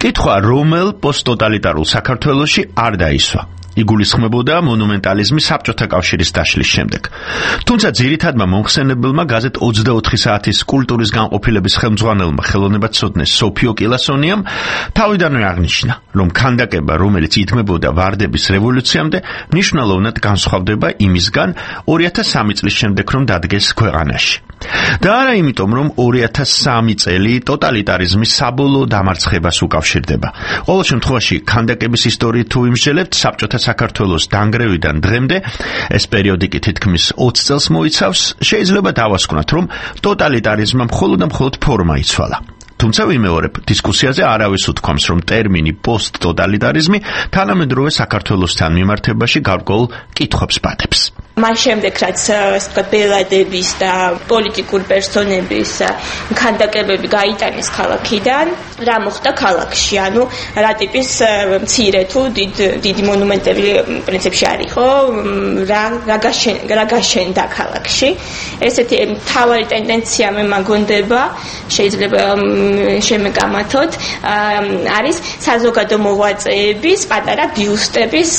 კითხვა, რომელ პოსტტოტალიტარულ საქართველოში არ დაისვა. იგულისხმებოდა მონუმენტალიზმი საბჭოთა კავშირის დაშლის შემდეგ. თუმცა ძირითადმა მომხსენებელმა გაზეთ 24 საათის კულტურის განყოფილების ხელმძღვანელმა ხელოვნებაცოდნე სოფიო კილასონიამ თავიდანვე აღნიშნა, რომ ქანდაკება, რომელიც ითმებოდა ვარდების რევოლუციამდე, მნიშვნელოვნად განსხვავდება იმისგან 2003 წლის შემდეგ, რომ დადგეს ქვეყანაში. და არა იმიტომ, რომ 2003 წელი ტოტალიტარიზმის საბოლოო დამარცხებას უკავშირდება. ყოველ შემთხვევაში, ქანდაკების ისტორიით თუ ვიმსჯელებთ, საბჭოთა საქართველოს დანგრევიდან დღემდე, ეს პერიოდი კი თითქმის 20 წელს მოიცავს, შეიძლება დავასკვნათ, რომ ტოტალიტარიზმმა მხოლოდ და მხოლოდ ფორმა იცვალა. თუმცა ვიმეორებ, დისკუსიაზე არავის უთქვამს, რომ ტერმინი პოსტტოტალიტარიზმი თანამედროვე საქართველოსთან მიმართებაში გარკვეულ კითხვებს პატებს. მას შემდეგ, რაც ბელადების და პოლიტიკური პერსონების ქანდაკებები გაიტანეს ქალაქიდან, რა მოხდა ქალაქში? ანუ რა ტიპის მცირე თუ დიდი მონუმენტები პრინციპში არ იყო, რა გაშენდა ქალაქში. ესეთი მთავარი ტენდენცია მე მაგონდება, შეიძლება შემეგამათოთ, არის საზოგადო მოღვაწეების პატარა ბიუსტების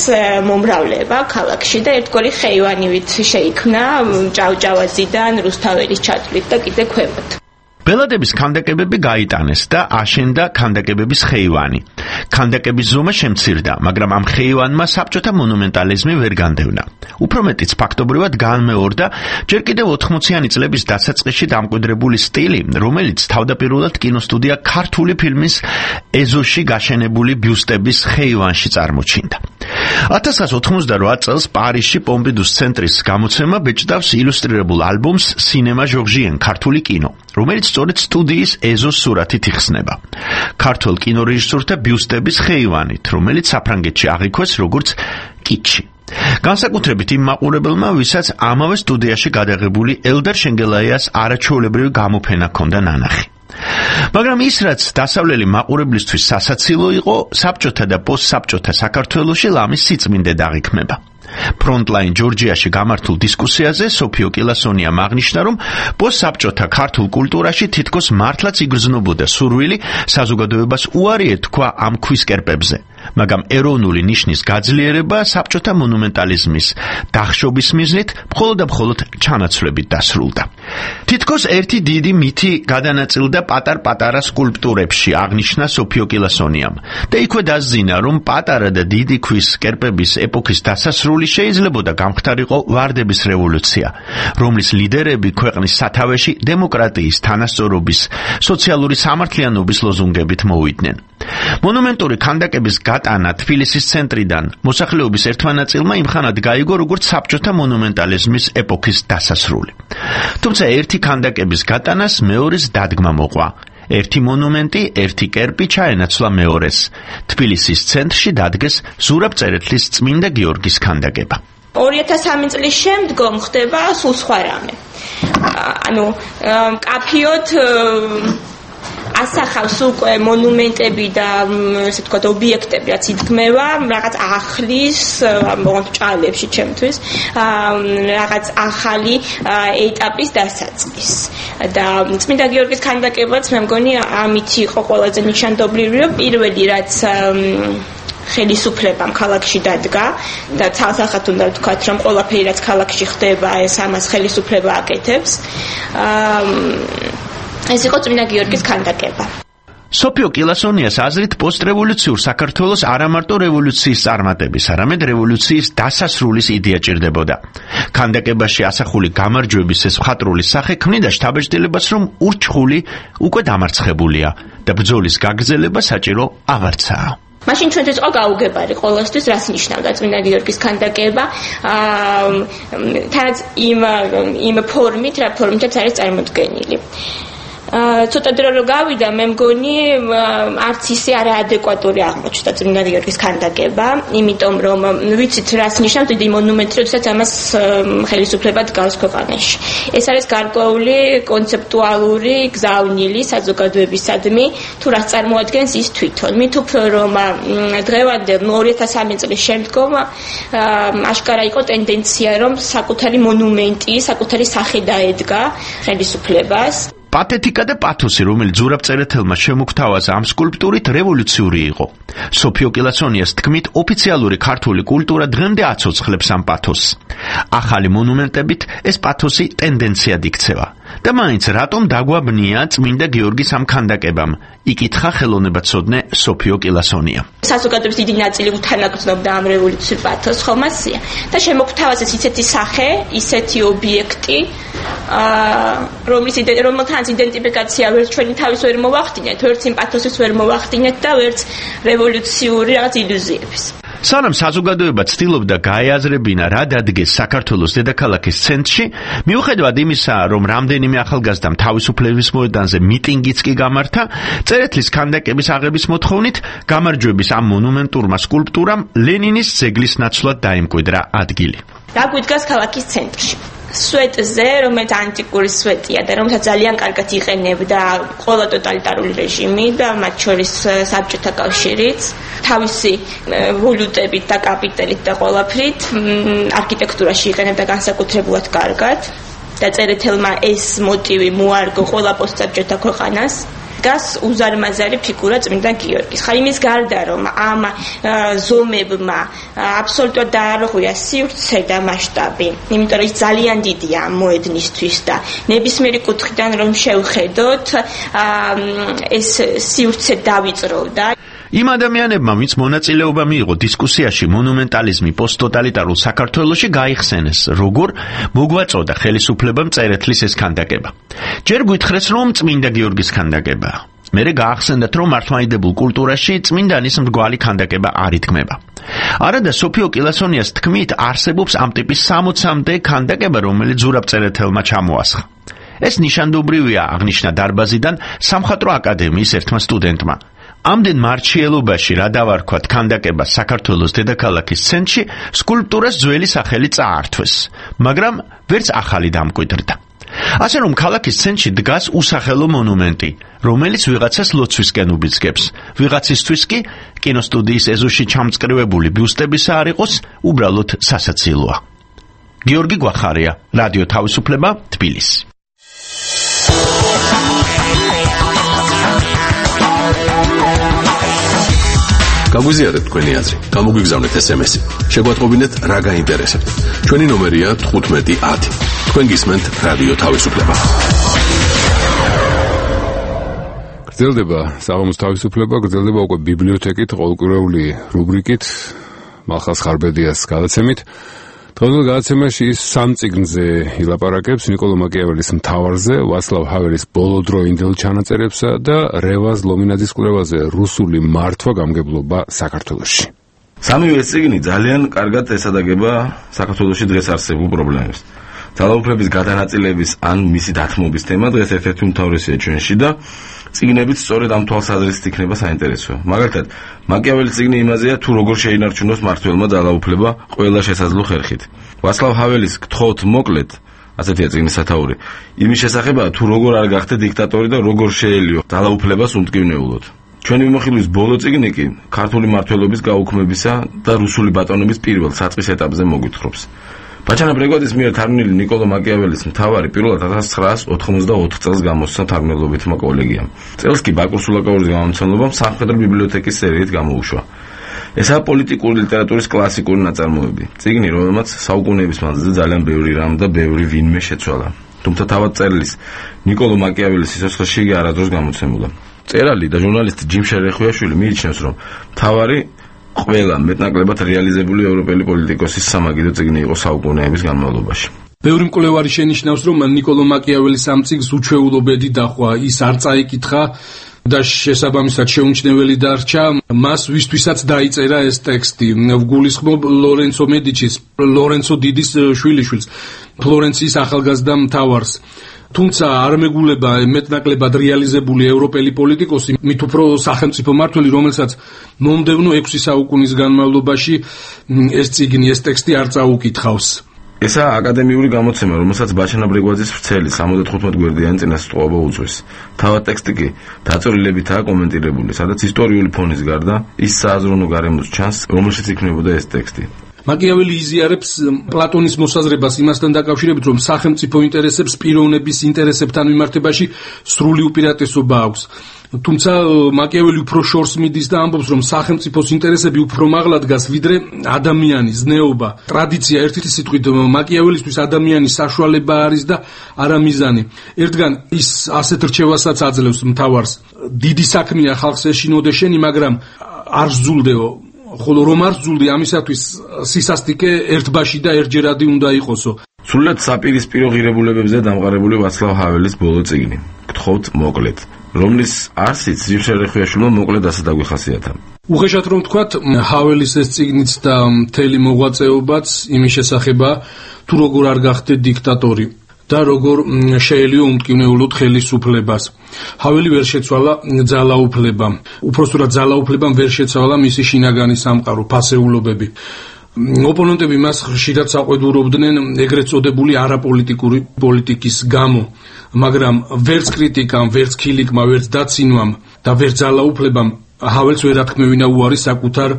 მომრავლება ქალაქში და ერთგვარი ხეივანივით შეიქმნა ჭავჭავაძიდან, რუსთაველის ჩათვლით და კიდე ქვემოთ. ბელადების ქანდაკებები გაიტანეს და აშენდა ქანდაკებების ხეივანი. ქანდაკების ზომა შემცირდა, მაგრამ ამ ხეივანმა საბჭოთა მონუმენტალიზმი ვერ განდევნა. უფრო მეტიც ფაქტობრივად განმეორდა ჯერ კიდევ 80-იანი წლების დასაწყისში დამკვიდრებული სტილი, რომელიც თავდაპირველად კინოსტუდია ქართული ფილმის ეზოში გაშენებული ბიუსტების ხეივანში წარმოჩინდა. 1988 წელს პარიზში პომპიდუს ცენტრის გამოცემა ბეჭდავს ილუსტრირებულ ალბომს „სინემა ჟორჟიენ ქართული კინო“, რომელიც სწორედ სტუდიის ეზოს სურათით იხსნება. ქართულ კინორეჟისორთა ბიუსტების ხეივანით, რომელიც საფრანგეთში აღიქვეს როგორც კიჩი. განსაკუთრებით იმ მაყურებელმა, ვისაც ამავე სტუდიაში გადაღებული ელდარ შენგელაიას არაჩვეულებრივი გამოფენა ჰქონდა ნანახი. მაგრამ ის, რაც დასავლელი მაყურებლისთვის სასაცილო იყო, საბჭოთა და პოსტსაბჭოთა საქართველოში ლამის სიწმინდე დაღიქმება. Frontline Georgia-ში გამართულ დისკუსიაზე სოფიო კილასონიამ აღნიშნა, რომ პოსტსაბჭოთა ქართულ კულტურაში თითქოს მართლაც იგრძნობოდა სურვილი საზოგადოებას უარი ეთქვა ამ ქვის კერპებზე, მაგრამ ეროვნული ნიშნის გაძლიერება საბჭოთა მონუმენტალიზმის დახშობის მიზნით მხოლოდ და მხოლოდ ჩანაცვლებით დასრულდა. თითქოს ერთი დიდი მითი გადანაწილდა პატარ-პატარა სკულპტურებში, აღნიშნა სოფიო კილასონიამ და იქვე დასძინა, რომ პატარა და დიდი ქვის კერპების ეპოქის დასასრული შეიძლებოდა გამხდარიყო ვარდების რევოლუცია, რომლის ლიდერები ქვეყნის სათავეში დემოკრატიის, თანასწორობის, სოციალური სამართლიანობის ლოზუნგებით მოვიდნენ. მონუმენტური ქანდაკების გატანა თბილისის ცენტრიდან მოსახლეობის ერთმანაწილმა იმხანად გაიგო, როგორც საბჭოთა მონუმენტალიზმის ეპოქის დასასრული. თუმცა ერთი ქანდაკების გატანას მეორეს დადგმა მოყვა. ერთი მონუმენტი, ერთი კერპი ჩაენაცვლა მეორეს. თბილისის ცენტრში დადგეს ზურაბ წერეთლის წმინდა გიორგის ქანდაკება. 2003 წლის შემდგომ ხდება სულ სხვა რამე. ანუ კაფიოთ ასახავს უკვე მონუმენტები და ესე ვთქვათ ობიექტები, რაც იდგმება რაღაც ახლის ჭალებში ჩემთვის, რაღაც ახალი ეტაპის დასაწყის. და წმინდა გიორგის ქანდაკებაც მე მგონი ამით იყო ყველაზე ნიშანდობლივი, რომ პირველი რაც ხელისუფლებამ ქალაქში დადგა და ცალსახად უნდა ვთქვათ, რომ ყველაფერი რაც ქალაქში ხდება, ეს ამას ხელისუფლება აკეთებს. ეს იყო წმინდა გიორგის ქანდაკება. სოფიო კილასონიას აზრით პოსტრევოლუციურ საქართველოს არა მარტო რევოლუციის წარმატების, არამედ რევოლუციის დასასრულის იდეა ჭირდებოდა. ქანდაკებაში ასახული გამარჯვების ეს მხატვრული სახე ქმნიდა შთაბეჭდილებას, რომ ურჩხული უკვე დამარცხებულია და ბრძოლის გაგრძელება საჭირო აღარცაა. მაშინ ჩვენთვის იყო გაუგებარი ყოველთვის, რას ნიშნავდა წმინდა გიორგის ქანდაკება, თანაც იმ ფორმით, რა ფორმითაც არის წარმოდგენილი. ცოტა დრო რო გავიდა, მე მგონი არც ისე არაადეკვატური აღმოჩნდა წმინდა გიორგის ქანდაკება, იმიტომ რომ ვიცით რას ნიშნავს დიდი მონუმენტი, როდესაც ამას ხელისუფლება დგას ქვეყანაში. ეს არის გარკვეული კონცეპტუალური გზავნილი საზოგადოებისადმი, თუ რას წარმოადგენს ის თვითონ. მით უფრო რომ დღევანდელ 2003 წლის შემდგომ აშკარა იყო ტენდენცია, რომ საკუთარი მონუმენტი, საკუთარი სახე დაედგა ხელისუფლებას. პათეტიკა და პათოსი, რომელიც ზურაბწერეთელმა შემოგთავაზა ამ სკულპტურით, რევოლუციური იყო. სოფიო კილასონიას თქმით, ოფიციალური ქართული კულტურა დღემდე აცოცხლებს ამ პათოსს. ახალი მონუმენტებით ეს პათოსი ტენდენციად იქცევა. და მაინც რატომ დაგვაბნია წმინდა გიორგის ამ ქანდაკებამ? იკითხა ხელოვნებაცოდნე სოფიო კილასონია. საზოგადოების დიდი ნაწილი უთანაგრძნობდა ამ რევოლუციურ პათოსს, ხომ ასია? და შემოგთავაზეს ისეთი სახე, ისეთი ობიექტი, რომელთან იდენტიფიკაცია ვერც ჩვენი თავის ვერ მოვახდინეთ, ვერც იმ პათოსის ვერ მოვახდინეთ და ვერც რევოლუციური რაღაც ილუზიების. სანამ საზოგადოება ცდილობდა გაეაზრებინა რა დადგეს საქართველოს დედაქალაქის ცენტრში, მიუხედავად იმისა, რომ რამდენიმე ახალგაზრდამ თავისუფლების მოედანზე მიტინგიც კი გამართა, წერეთლის ქანდაკების აღების მოთხოვნით გამარჯვების ამ მონუმენტურმა სკულპტურამ ლენინის ძეგლის ნაცვლად დაიმკვიდრა ადგილი. რა გვიდგას ქალაქის ცენტრში? სვეტზე, რომელიც ანტიკური სვეტია და რომელსაც ძალიან კარგად იყენებდა ყველა ტოტალიტარული რეჟიმი და მათ შორის საბჭოთა კავშირიც, თავისი ვალუტებით და კაპიტალით და ყველაფრით არქიტექტურაში იყენებდა განსაკუთრებულად კარგად და წერეთელმა ეს მოტივი მოარგო ყველა პოსტსაბჭოთა ქვეყანას. გას უზარმაზარი ფიგურა წმინდა გიორგის. ხა იმის გარდა რომ ამ ზომებმა აბსოლუტურად დაარღვია სივრცე და მასშტაბი, იმიტომ რომ ის ძალიან დიდია ამ მოედნისთვის და ნებისმიერი კუთხიდან რომ შევხედოთ, ეს სივრცე დავიწროვდა. იმ ადამიანებმა, ვინც მონაწილეობა მიიღო დისკუსიაში მონუმენტალიზმი პოსტტოტალიტარულ საქართველოში, გაიხსენეს, როგორ მოგვაწოდა ხელისუფლებამ წერეთლის ეს ქანდაკება. ჯერ გითხრეს, რომ წმინდა გიორგის ქანდაკებაა. მერე გაახსენდათ, რომ მართლმადიდებულ კულტურაში წმინდანის მრგვალი ქანდაკება არ იდგმება. არადა სოფიო კილასონიას თქმით, არსებობს ამ ტიპის 60-მდე ქანდაკება, რომელიც ზურაბწერეთელმა ჩამოასხა. ეს ნიშანდობრივია, აღნიშნა დარბაზიდან სამხატვრო აკადემიის ერთმა სტუდენტმა. ამდენ მარჩიელობაში რა დავარქვათ ქანდაკებას საქართველოს დედაქალაქის ცენტრში, სკულპტურას ძველი სახელი წაართვეს, მაგრამ ვერც ახალი დამკვიდრდა. ასე რომ ქალაქის ცენტრში დგას უსახელო მონუმენტი, რომელიც ვიღაცას ლოცვისკენ უბიძგებს, ვიღაცისთვის კი კინოსტუდიის ეზოში ჩამწკრივებული ბიუსტებისა არ იყოს, უბრალოდ სასაცილოა. გიორგი გვახარია, რადიო თავისუფლება, თბილისი. გაგვიზიარეთ თქვენი აზრი, გამოგვიგზავნეთ SMS-ი. შეგვატყობინეთ რა გაინტერესებთ. ჩვენი ნომერია 1510. თქვენ გისმენთ რადიო თავისუფლება. გრძელდება საღამოს თავისუფლება, გრძელდება უკვე ბიბლიოთეკით, ყოველკვირეული რუბრიკით, მალხაზ ხარბედიას გადაცემით. დღევანდელ გადაცემაში ის სამ წიგნზე ილაპარაკებს, ნიკოლო მაკიაველის მთავარზე, ვაცლავ ჰაველის ბოლოდროინდელ ჩანაწერებსა და რევაზ ლომინაძის კვლევაზე რუსული მართვა გამგებლობა საქართველოში. სამივე წიგნი ძალიან კარგად ესადაგება საქართველოში დღეს არსებულ პრობლემებს. ძალაუფლების გადანაწილების ან მისი დათმობის თემა დღეს ერთ-ერთი უმთავრესია ჩვენში და წიგნებით სწორედ ამ თვალსაზრისით იქნება საინტერესო. მაგალითად, მაკიაველის წიგნი იმაზეა, თუ როგორ შეინარჩუნოს მმართველმა ძალაუფლება ყველა შესაძლო ხერხით. ვაცლავ ჰაველის გთხოვთ მოკლედ, ასეთია წიგნის სათაური, იმის შესახებაა, თუ როგორ არ გახდე დიქტატორი და როგორ შეელიო ძალაუფლებას უმტკივნეულოდ. ჩვენი მიმოხილვის ბოლო წიგნი კი ქართული მმართველობის გაუქმებისა და რუსული ბატონობის პირველ საწყის ეტაპზე მოგვითხრობს. ბაჩანა ბრეგვადის მიერ თარგმნილი ნიკოლო მაკიაველის მთავარი პირველად 1994 წელს გამოსცა თარგმნელობითმა კოლეგიამ. წელს კი ბაკურ სულაკაურის გამომცემლობამ სამხედრო ბიბლიოთეკის სერიით გამოუშვა. ესაა პოლიტიკური ლიტერატურის კლასიკური ნაწარმოები. წიგნი, რომელმაც საუკუნეების მანძილზე ძალიან ბევრი რამ და ბევრი ვინმე შეცვალა. თუმცა თავად წერილის ნიკოლო მაკიაველის სიცოცხლეში იგი არასდროს გამოცემულა. წერალი და ჟურნალისტი ჯიმ შერეხუაშვილი მიიჩნევს, რომ მთავარი ყველა მეტნაკლებად რეალიზებული ევროპელი პოლიტიკოსის სამაგიდო წიგნი იყო საუკუნეების განმავლობაში. ბევრი მკვლევარი შენიშნავს, რომ ნიკოლო მაკიაველის ამ წიგნს უჩვეულობედი დახვა, ის არ წაიკითხა და შესაბამისად შეუმჩნეველი დარჩა მას, ვისთვისაც დაიწერა ეს ტექსტი. ვგულისხმობ ლორენცო მედიჩის, ლორენცო დიდის შვილიშვილს, ფლორენციის ახალგაზრდა მთავარს. თუმცა არ მეგულება მეტნაკლებად რეალიზებული ევროპელი პოლიტიკოსი, მით უფრო სახელმწიფო მმართველი, რომელსაც მომდევნო 6 საუკუნის განმავლობაში ეს წიგნი, ეს ტექსტი არ წაუკითხავს. ესა აკადემიური გამოცემა, რომელსაც ბაჩანა ბრეგვაძის ვრცელი 75 გვერდიანი წინასწრაფობა უძღვეს. თავად ტექსტი კი დაწვრილებითაა კომენტირებული, სადაც ისტორიული ფონის გარდა ის სააზროვნო გარემოს ჩანს, რომელშიც იქმნებოდა ეს ტექსტი. მაკიაველი იზიარებს პლატონის მოსაზრებას იმასთან დაკავშირებით, რომ სახელმწიფო ინტერესებს პიროვნების ინტერესებთან მიმართებაში სრული უპირატესობა აქვს. თუმცა მაკიაველი უფრო შორს მიდის და ამბობს, რომ სახელმწიფოს ინტერესები უფრო მაღლა დგას, ვიდრე ადამიანი, ზნეობა, ტრადიცია. ერთი სიტყვით, მაკიაველისთვის ადამიანი საშუალება არის და არა მიზანი. ერთგან ის ასეთ რჩევასაც აძლევს მთავარს: დიდი საქმეა ხალხს ეშინოდე შენი, მაგრამ არ ზულდეო. ხოლო რომ არ ზულდი, ამისათვის სისასტიკე ერთბაში და ერთჯერადი უნდა იყოსო. სრულად საპირისპირო ღირებულებებზე დამყარებული ვაცლავ ჰაველის ბოლო წიგნი. გთხოვთ მოკლედ, რომლის არსიც ზივშერეხვიაშვილმა მოკლედ ასე დაგვიხასიათა. უხეშად რომ თქვათ, ჰაველის ეს წიგნიც და მთელი მოღვაწეობაც იმის შესახებაა, თუ როგორ არ გახდე დიქტატორი და როგორ შეელიო უმტკივნეულოდ ხელისუფლებას. ჰაველი ვერ შეცვალა ძალაუფლებამ. უпроსტურად ძალაუფლებამ ვერ შეცვალა მისი შინაგანი სამყარო, ფასეულობები. ოპონენტები მას ხშირად საყვედურობდნენ ეგრეთ წოდებული არაპოლიტიკური პოლიტიკის გამო, მაგრამ ვერც კრიტიკამ, ვერც ქილიკმა, ვერც დაცინვამ და ვერც ძალაუფლებამ ჰაველს ვერ ათქმევინა უარი საკუთარ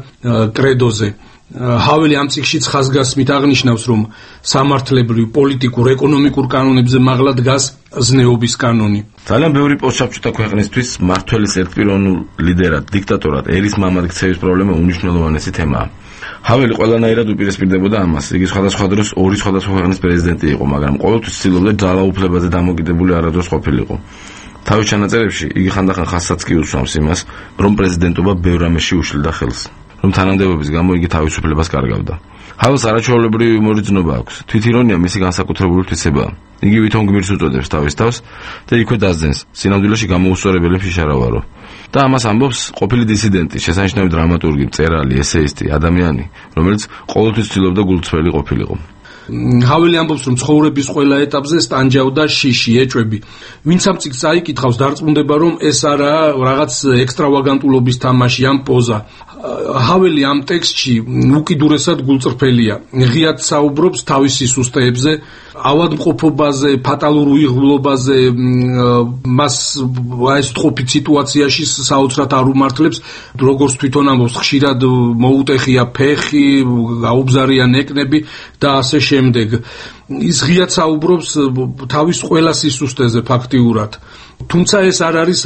კრედოზე. ჰაველი ამ წიგნშიც ხაზგასმით აღნიშნავს, რომ სამართლებრივ, პოლიტიკურ, ეკონომიკურ კანონებზე მაღლა დგას ზნეობის კანონი. ძალიან ბევრი პოსტსაბჭოთა ქვეყნისთვის მმართველის ერთპიროვნულ ლიდერად, დიქტატორად, ერის მამად ქცევის პრობლემა უნიშნელოვანესი თემაა. ჰაველი ყველანაირად უპირისპირდებოდა ამას. იგი სხვადასხვა დროს ორი სხვადასხვა ქვეყნის პრეზიდენტი იყო, მაგრამ ყოველთვის ცდილობდა ძალაუფლებაზე დამოკიდებული არადროს ყოფილიყო. თავის ჩანაწერებში იგი ხანდახან ხაზსაც კი უსვამს იმას, რომ პრეზიდენტობა ბევრ რამეში უშლიდა ხელს, რომ თანამდებობის გამო იგი თავისუფლებას კარგავდა. ჰაველს არაჩვეულებრივი იუმორი ძნობა აქვს. თვითირონია მისი განსაკუთრებული თვისებაა. იგი ვითომ გმირს უწოდებს თავის თავს და იქვე დასძენს, სინამდვილეში გამოუსწორებელი მშიშარავარო. და ამას ამბობს ყოფილი დისიდენტი, შესანიშნავი დრამატურგი, მწერალი, ესეისტი, ადამიანი, რომელიც ყოველთვის ცდილობდა გულწრფელი ყოფილიყო. ჰაველი ამბობს, რომ ცხოვრების ყველა ეტაპზე სტანჯავდა შიში, ეჭვები. ვინც ამ წიგნს წაიკითხავს, დარწმუნდება, რომ ეს არაა რაღაც ექსტრავაგანტულობის თამაში, ამ პოზა. ჰაველი ამ ტექსტში უკიდურესად გულწრფელია. ღიად საუბრობს თავის სისუსტეებზე, ავადმყოფობაზე, ფატალურ უიღბლობაზე, მას ეს ყოფით სიტუაციაში საოცრად არ უმართლებს, როგორც თვითონ ამბობს, ხშირად მოუტეხია ფეხი, გაუბზარია ნეკნები და ასე შემდეგ. ის ღიად საუბრობს თავის ყველა სისუსტეზე ფაქტიურად. თუმცა ეს არ არის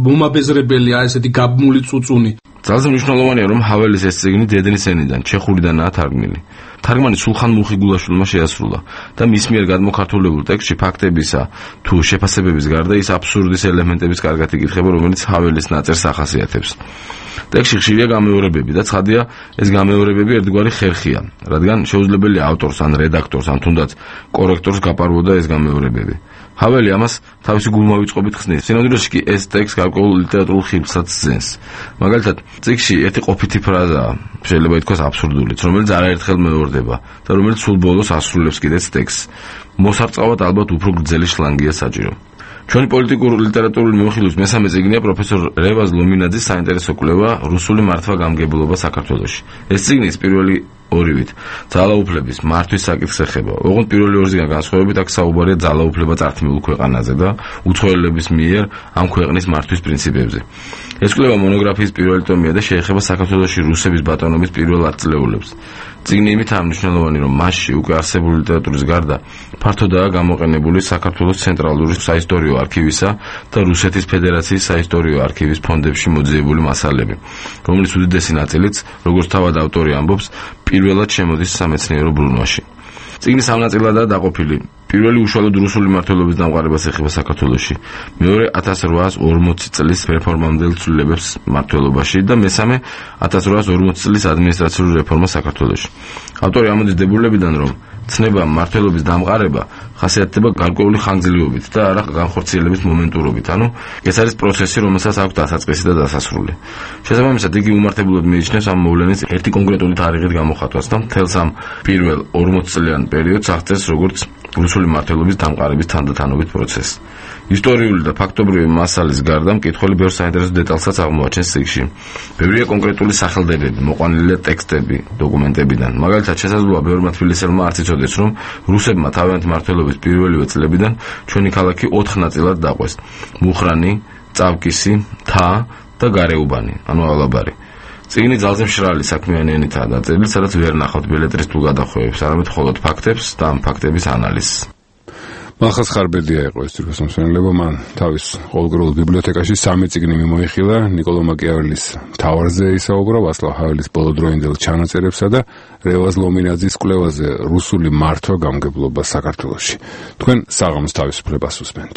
მომაბეზრებელი, ესეთი გაბმული წუწუნი. ძალზე მნიშვნელოვანია, რომ ჰაველის ეს წიგნი დედნის ენიდან, ჩეხურიდანაა თარგმნილი. თარგმანი სულხან მულხიგულაშვილმა შეასრულა და მის მიერ გადმოქართულებულ ტექსტში ფაქტებისა თუ შეფასებების გარდა ის აბსურდის ელემენტების კარგად იკითხება, რომელიც ჰაველის ნაწერს ახასიათებს. ტექსტში ხშირია გამეორებები და ცხადია, ეს გამეორებები ერთგვარი ხერხია, რადგან შეუძლებელია ავტორს ან რედაქტორს ან თუნდაც კორექტორს გაპარვოდა ეს გამეორებები. ჰაველი ამას თავისი გულმოვიწყობით ხსნის. სინამდვილეში კი ეს ტექსტი გარკვეულ ლიტერატურულ ხიბლსაც ძენს. მაგალითად, წიგნში ერთი ყოფითი ფრაზაა, შეიძლება ითქვას აბსურდულიც, რომელიც არაერთხელ მეორდება და რომელიც სულ ბოლოს ასრულებს კიდეც ტექსტს. მოსარწყავად ალბათ უფრო გრძელი შლანგია საჭირო. ჩვენი პოლიტიკური ლიტერატურული მიმოხილვის მესამე წიგნია პროფესორ რევაზ ლომინაძის საინტერესო კვლევა რუსული მართვა-გამგებლობა საქართველოში. ეს წიგნი პირველი ორივით ძალაუფლების მართვის საკითხს ეხება. ოღონდ პირველი ორისგან განსხვავებით აქ საუბარია ძალაუფლება წართმეულ ქვეყანაზე და უცხოელების მიერ ამ ქვეყნის მართვის პრინციპებზე. ეს კვლევა მონოგრაფიის პირველი ტომია და შეეხება საქართველოში რუსების ბატონობის პირველ ათწლეულებს. წიგნი იმითაა მნიშვნელოვანი, რომ მასში უკვე არსებული ლიტერატურის გარდა ფართოდაა გამოყენებული საქართველოს ცენტრალური საისტორიო არქივისა და რუსეთის ფედერაციის საისტორიო არქივის ფონდებში მოძიებული მასალები, რომლის უდიდესი ნაწილიც, როგორც თავად ავტორი ამბობს, პირველად შემოდის სამეცნიერო ბრუნვაში. წიგნი სამ ნაწილადაა დაყოფილი. პირველი უშუალოდ რუსული მმართველობის დამყარებას ეხება საქართველოში, მეორე 1840 წლის რეფორმამდელ ცვლილებებს მმართველობაში და მესამე 1840 წლის ადმინისტრაციული რეფორმა საქართველოში. ავტორი ამოდის დებულებიდან, რომ ცნება მმართველობის დამყარება ხასიათდება გარკვეული ხანგრძლივობით და არა განხორციელების მომენტურობით. ანუ ეს არის პროცესი, რომელსაც აქვს დასაწყისი და დასასრული. შესაბამისად, იგი უმართებულად მიიჩნევს ამ მოვლენის ერთი კონკრეტული თარიღით გამოხატვას და მთელს ამ პირველ 40 წლიან პერიოდს აღწერს როგორც რუსული მმართველობის დამყარების თანდათანობით პროცესი. ისტორიული და ფაქტობრივი მასალის გარდა მკითხველი ბევრ საინტერესო დეტალსაც აღმოაჩენს წიგნში. ბევრია კონკრეტული სახელდებები, მოყვანილია ტექსტები დოკუმენტებიდან. მაგალითად, შესაძლოა ბევრმა თბილისელმა არც იცოდეს, რომ რუსებმა თავიანთი მმართველობის პირველივე წლებიდან ჩვენი ქალაქი 4 ნაწილად დაყვეს: მუხრანი, წავკისი, თა და გარეუბანი, ანუ ალაბარი. წიგნი ძალზე მშრალი საქმიანიანითაა დაწერილი, სადაც ვერ ნახავთ ბელეტრისტულ გადახვევებს, არამედ მხოლოდ ფაქტებს და ამ ფაქტების ანალიზს. მახას ხარბედია იყო ეს თურქეთის მსმენელება, მან თავის ყოველდღიურ ბიბლიოთეკაში 3 წიგნი მიმოიხილა, ნიკოლო მაკიაველის მთავარზე ისაუბრა, ვასლავ ჰაველის ბოლოდროინდელ ჩანაწერებსა და რევაზ ლომინაძის კვლევაზე რუსული მართვა გამგებლობა საქართველოში. თქვენ საღამოს თავისუფლებას უსმენთ.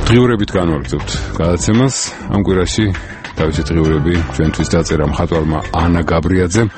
დღიურებით განვაგრძობთ გადაცემას. ამ კვირაში თავისი დღიურები ჩვენთვის დაწერა მხატვარმა ანა გაბრიაძემ.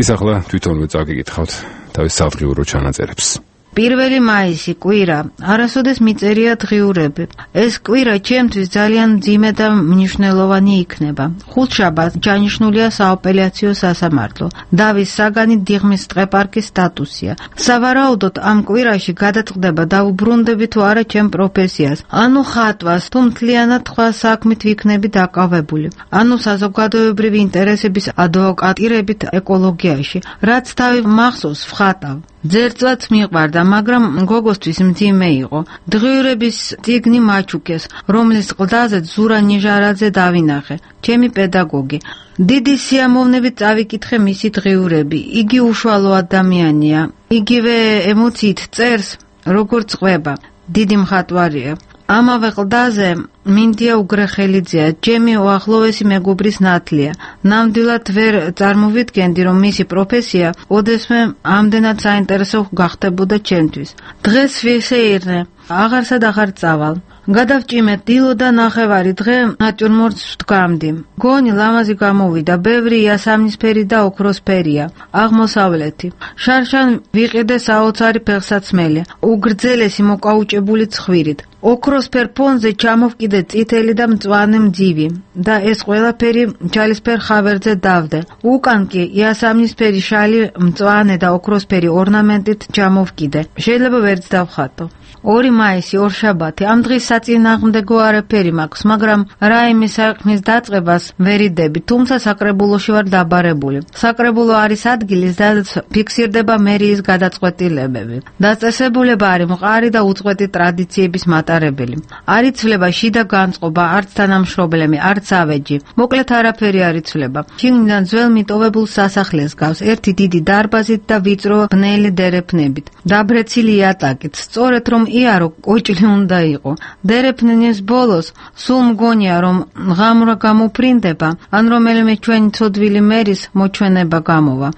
ის ახლა თვითონვე წაგიკითხავთ თავის სადღიურო ჩანაწერებს. 1 მაისი კვირა არასოდეს მიწერია დღიურები. ეს კვირა ჩემთვის ძალიან მძიმე და მნიშვნელოვანი იქნება. ხუთშაბათს ჩანიშნულია სააპელაციო სასამართლო. დავის საგანი დიღმის ტყეპარკის სტატუსია. სავარაუდოდ ამ კვირაში გადაწყდება დაუბრუნდები თუ არა ჩემ პროფესიას. ანუ ხატვას თუ მთლიანად სხვა საქმით ვიქნები დაკავებული. ანუ საზოგადოებრივი ინტერესების ადვოკატირებით ეკოლოგიაში. რაც თავი მახსოვს ვხატავ. ძერწვაც მიყვარდა, მაგრამ გოგოსთვის მძიმე იყო. დღიურების წიგნი მაჩუკეს, რომლის ყდაზე ზურა ნიჟარაძე დავინახე, ჩემი პედაგოგი. დიდი სიამოვნებით წავიკითხე მისი დღიურები. იგი უშუალო ადამიანია. იგივე ემოციით წერს, როგორც ყვება. დიდი მხატვარია. ამავე ყდაზე მინდია უგრეხელიძეა, ჩემი უახლოვესი მეგობრის ნათლია. ნამდვილად ვერ წარმოვიდგენდი, რომ მისი პროფესია ოდესმე ამდენად საინტერესო გახდებოდა ჩემთვის. დღეს ვისეირნე, აღარსად აღარ წავალ. გადავჭიმეთ დილო და ნახევარი დღე ნატურმორტს ვდგამდი. გონი ლამაზი გამოვიდა, ბევრი იასამნისფერი და ოქროსფერია, აღმოსავლეთი. შარშან ვიყიდე საოცარი ფეხსაცმელი, უგრძელესი მოკაუჭებული ცხვირით. ოქროსფერ ფონზე ჩამოვკიდე წითელი და მწვანე მძივი და ეს ყველაფერი ჩალისფერ ხავერზე დავდე. უკან კი იასამნისფერი შალი მწვანე და ოქროსფერი ორნამენტით ჩამოვკიდე. შეიძლება ვერც დავხატო. 2 მაისი ორშაბათი. ამ დღის საწინააღმდეგო არაფერი მაქვს, მაგრამ რაიმე საქმის დაწყებას ვერიდები, თუმცა საკრებულოში ვარ დაბარებული. საკრებულო არის ადგილი, სადაც ფიქსირდება მერიის გადაწყვეტილებები. დაწესებულება არის მყარი და უწყვეტი ტრადიციების მატარებელი. არ იცვლება შიდა განწყობა, არც თანამშრომლები, არც ავეჯი. მოკლედ არაფერი არ იცვლება. შიგნიდან ძველ მიტოვებულ სასახლეს გავს, ერთი დიდი დარბაზით და ვიწრო ბნელი დერეფნებით. დაბრეცილი იატაკით, სწორედ რომ იარო კოჭლი უნდა იყო. დერეფნის ბოლოს სულ მგონია, რომ ღამურა გამოფრინდება, ან რომელიმე ჩვენი ცოდვილი მერის მოჩვენება გამოვა.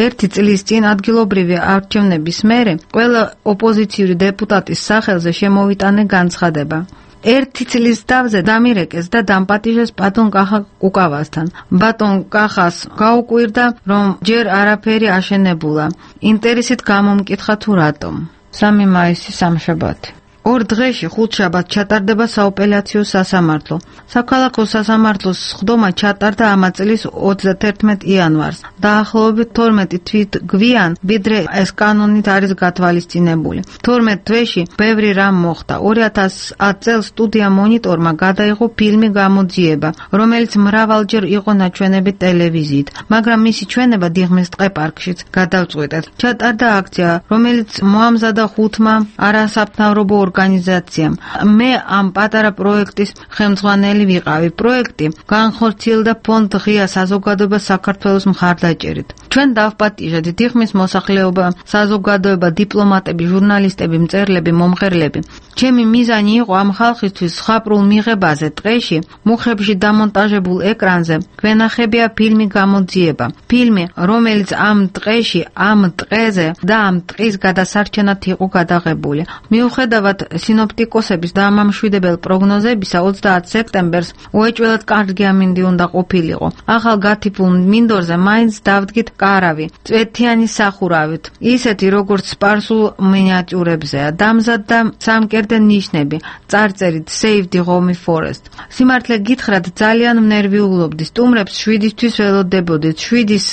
1 წლის წინ ადგილობრივი არჩევნების მერე ყველა ოპოზიციური დეპუტატის სახელზე შემოვიტანე განცხადება. 1 წლის დავზე დამირეკეს და დამპატიჟეს ბატონ კახა კუკავასთან. ბატონ კახას გაუკვირდა, რომ ჯერ არაფერი აშენებულა. ინტერესით გამომკითხა თუ რატომ. 3 მაისი სამშაბათი. 2 დღეში ხუთშაბათს ჩატარდება სააპელაციო სასამართლო. საქალაქო სასამართლოს სხდომა ჩატარდა ამ წლის 31 იანვარს. დაახლოებით 12 თვით გვიან, ვიდრე ეს კანონით არის გათვალისწინებული. 12 თვეში ბევრი რამ მოხდა. 2010 წელს სტუდია მონიტორმა გადაიღო ფილმი გამოძიება, რომელიც მრავალჯერ იყო ნაჩვენები ტელევიზიით, მაგრამ მისი ჩვენება დიღმის ტყეპარკშიც გადავწყვეტეთ. ჩატარდა აქცია, რომელიც მოამზადა 5-მა არასამთავრობო ორგანიზაციამ. მე ამ პატარა პროექტის ხელმძღვანელი ვიყავი. პროექტი განხორციელდა ფონდ ღია საზოგადოება საქართველოს მხარდაჭერით. ჩვენ დავპატიჟეთ დიღმის მოსახლეობა, საზოგადოება, დიპლომატები, ჟურნალისტები, მწერლები, მომღერლები. ჩემი მიზანი იყო ამ ხალხისთვის ხაპრულ მიღებაზე ტყეში, მუხებში დამონტაჟებულ ეკრანზე გვენახებია ფილმი გამოძიება. ფილმი, რომელიც ამ ტყეში, ამ ტყეზე და ამ ტყის გადასარჩენად იყო გადაღებული. მიუხედავად მიუხედავად სინოპტიკოსების დამამშვიდებელ პროგნოზებისა 30 სექტემბერს უეჭველად კარგი ამინდი უნდა ყოფილიყო. ახალ გათიფულ მინდორზე მაინც დავდგით კარავი, წვეთიანი სახურავით, ისეთი როგორც სპარსულ მინიატიურებზეა, დამზად და სამკერდე ნიშნები, წარწერით Save the Home Forest. სიმართლე გითხრათ, ძალიან ნერვიულობდი. სტუმრებს 7-ისთვის ველოდებოდით, 7-ის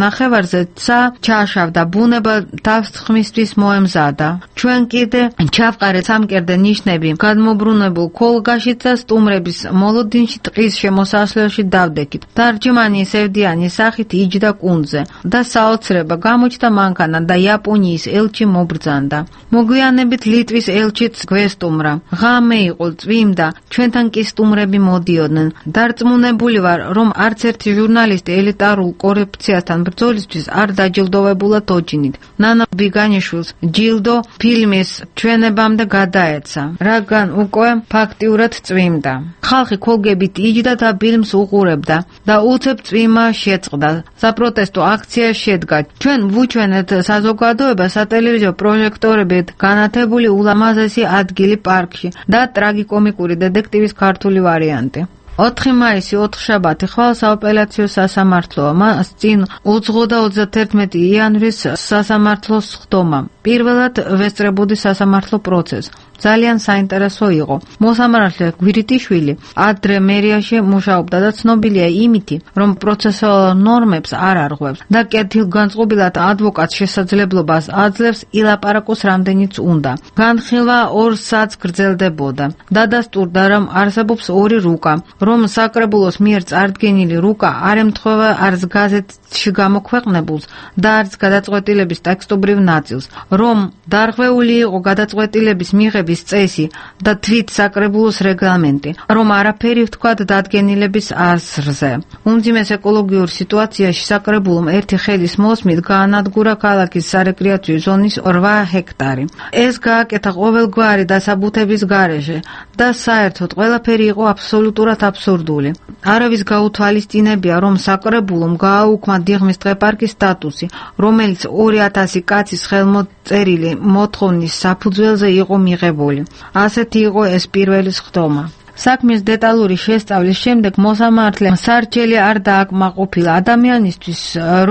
ნახევარზე ცა ჩაშავდა, ბუნება თავს ხმისთვის მოემზადა. ჩვენ კიდე ჩავყარეთ სამკერდე ნიშნები გადმობრუნებულ ქოლგაშიც და სტუმრების მოლოდინში ტყის შემოსასვლელში დავდექით. დარჯმანი სევდიანი სახით იჯდა კუნძზე და საოცრება გამოჩნდა მანქანა და იაპონიის ელჩი მობრძანდა. მოგვიანებით ლიტვის ელჩიც გვესტუმრა. ღამე იყო, წვიმდა, ჩვენთან კი სტუმრები მოდიოდნენ. დარწმუნებული ვარ, რომ არც ერთი ჟურნალისტი ელიტარულ კორუფციასთან ბრძოლისთვის არ დაჯილდოვებულა თოჯინით. ნანა ბიგანიშვილს ჯილდო ფილმის ჩვენებამდე გადაეცა, რადგან უკვე ფაქტიურად წვიმდა. ხალხი ქოლგებით იჯდა და ფილმს უყურებდა და უცებ წვიმა შეწყდა. საპროტესტო აქცია შედგა. ჩვენ ვუჩვენეთ საზოგადოება სატელევიზიო პროჟექტორებით განათებული ულამაზესი ადგილი პარკში და ტრაგიკომიკური დედექტივის ქართული ვარიანტი. 4 მაისი 4 შაბათი ხვალ საოპერაციო სასამართლოა, მას წინ უძღო და 31 იანვრის სასამართლოს ხდომა. პირველად ვესწრებოდი სასამართლო პროცესს. ძალიან საინტერესო იყო. მოსამართლე გვირიტიშვილი ადრე მერიაში მუშაობდა და ცნობილია იმით, რომ პროცესუალურ ნორმებს არ არღვევს და კეთილგანწყობილად ადვოკატს შესაძლებლობას აძლევს ილაპარაკოს რამდენიც უნდა. განხილვა 2 საათს გრძელდებოდა. დადასტურდა, რომ არსებობს 2 რუკა, რომ საკრებულოს მიერ წარდგენილი რუკა არ ემთხვევა არც გაზეთში გამოქვეყნებულს და არც გადაწყვეტილების ტექსტობრივ ნაწილს, რომ დარღვეული იყო გადაწყვეტილების მიღების წესი და თვით საკრებულოს რეგლამენტი, რომ არაფერი ვთქვათ დადგენილების აზრზე. უმძიმეს ეკოლოგიურ სიტუაციაში საკრებულომ ერთი ხელის მოსმით გაანადგურა ქალაქის სარეკრეაციო ზონის 8 ჰექტარი. ეს გააკეთა ყოველგვარი დასაბუთების გარეშე და საერთოდ ყველაფერი იყო აბსოლუტურად აბსურდული. არავის გაუთვალისწინებია, რომ საკრებულომ გააუქმა დიღმის დღეპარკის სტატუსი, რომელიც 2000 კაცის ხელმოწერილი მოთხოვნის საფუძველზე იყო მიღებული. ასეთი იყო ეს პირველი ხდომა. საქმის დეტალური შესწავლის შემდეგ მოსამართლემ სარჩელი არ დააკმაყოფილა. ადამიანისთვის,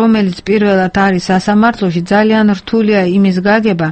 რომელიც პირველად არის სასამართლოში, ძალიან რთულია იმის გაგება,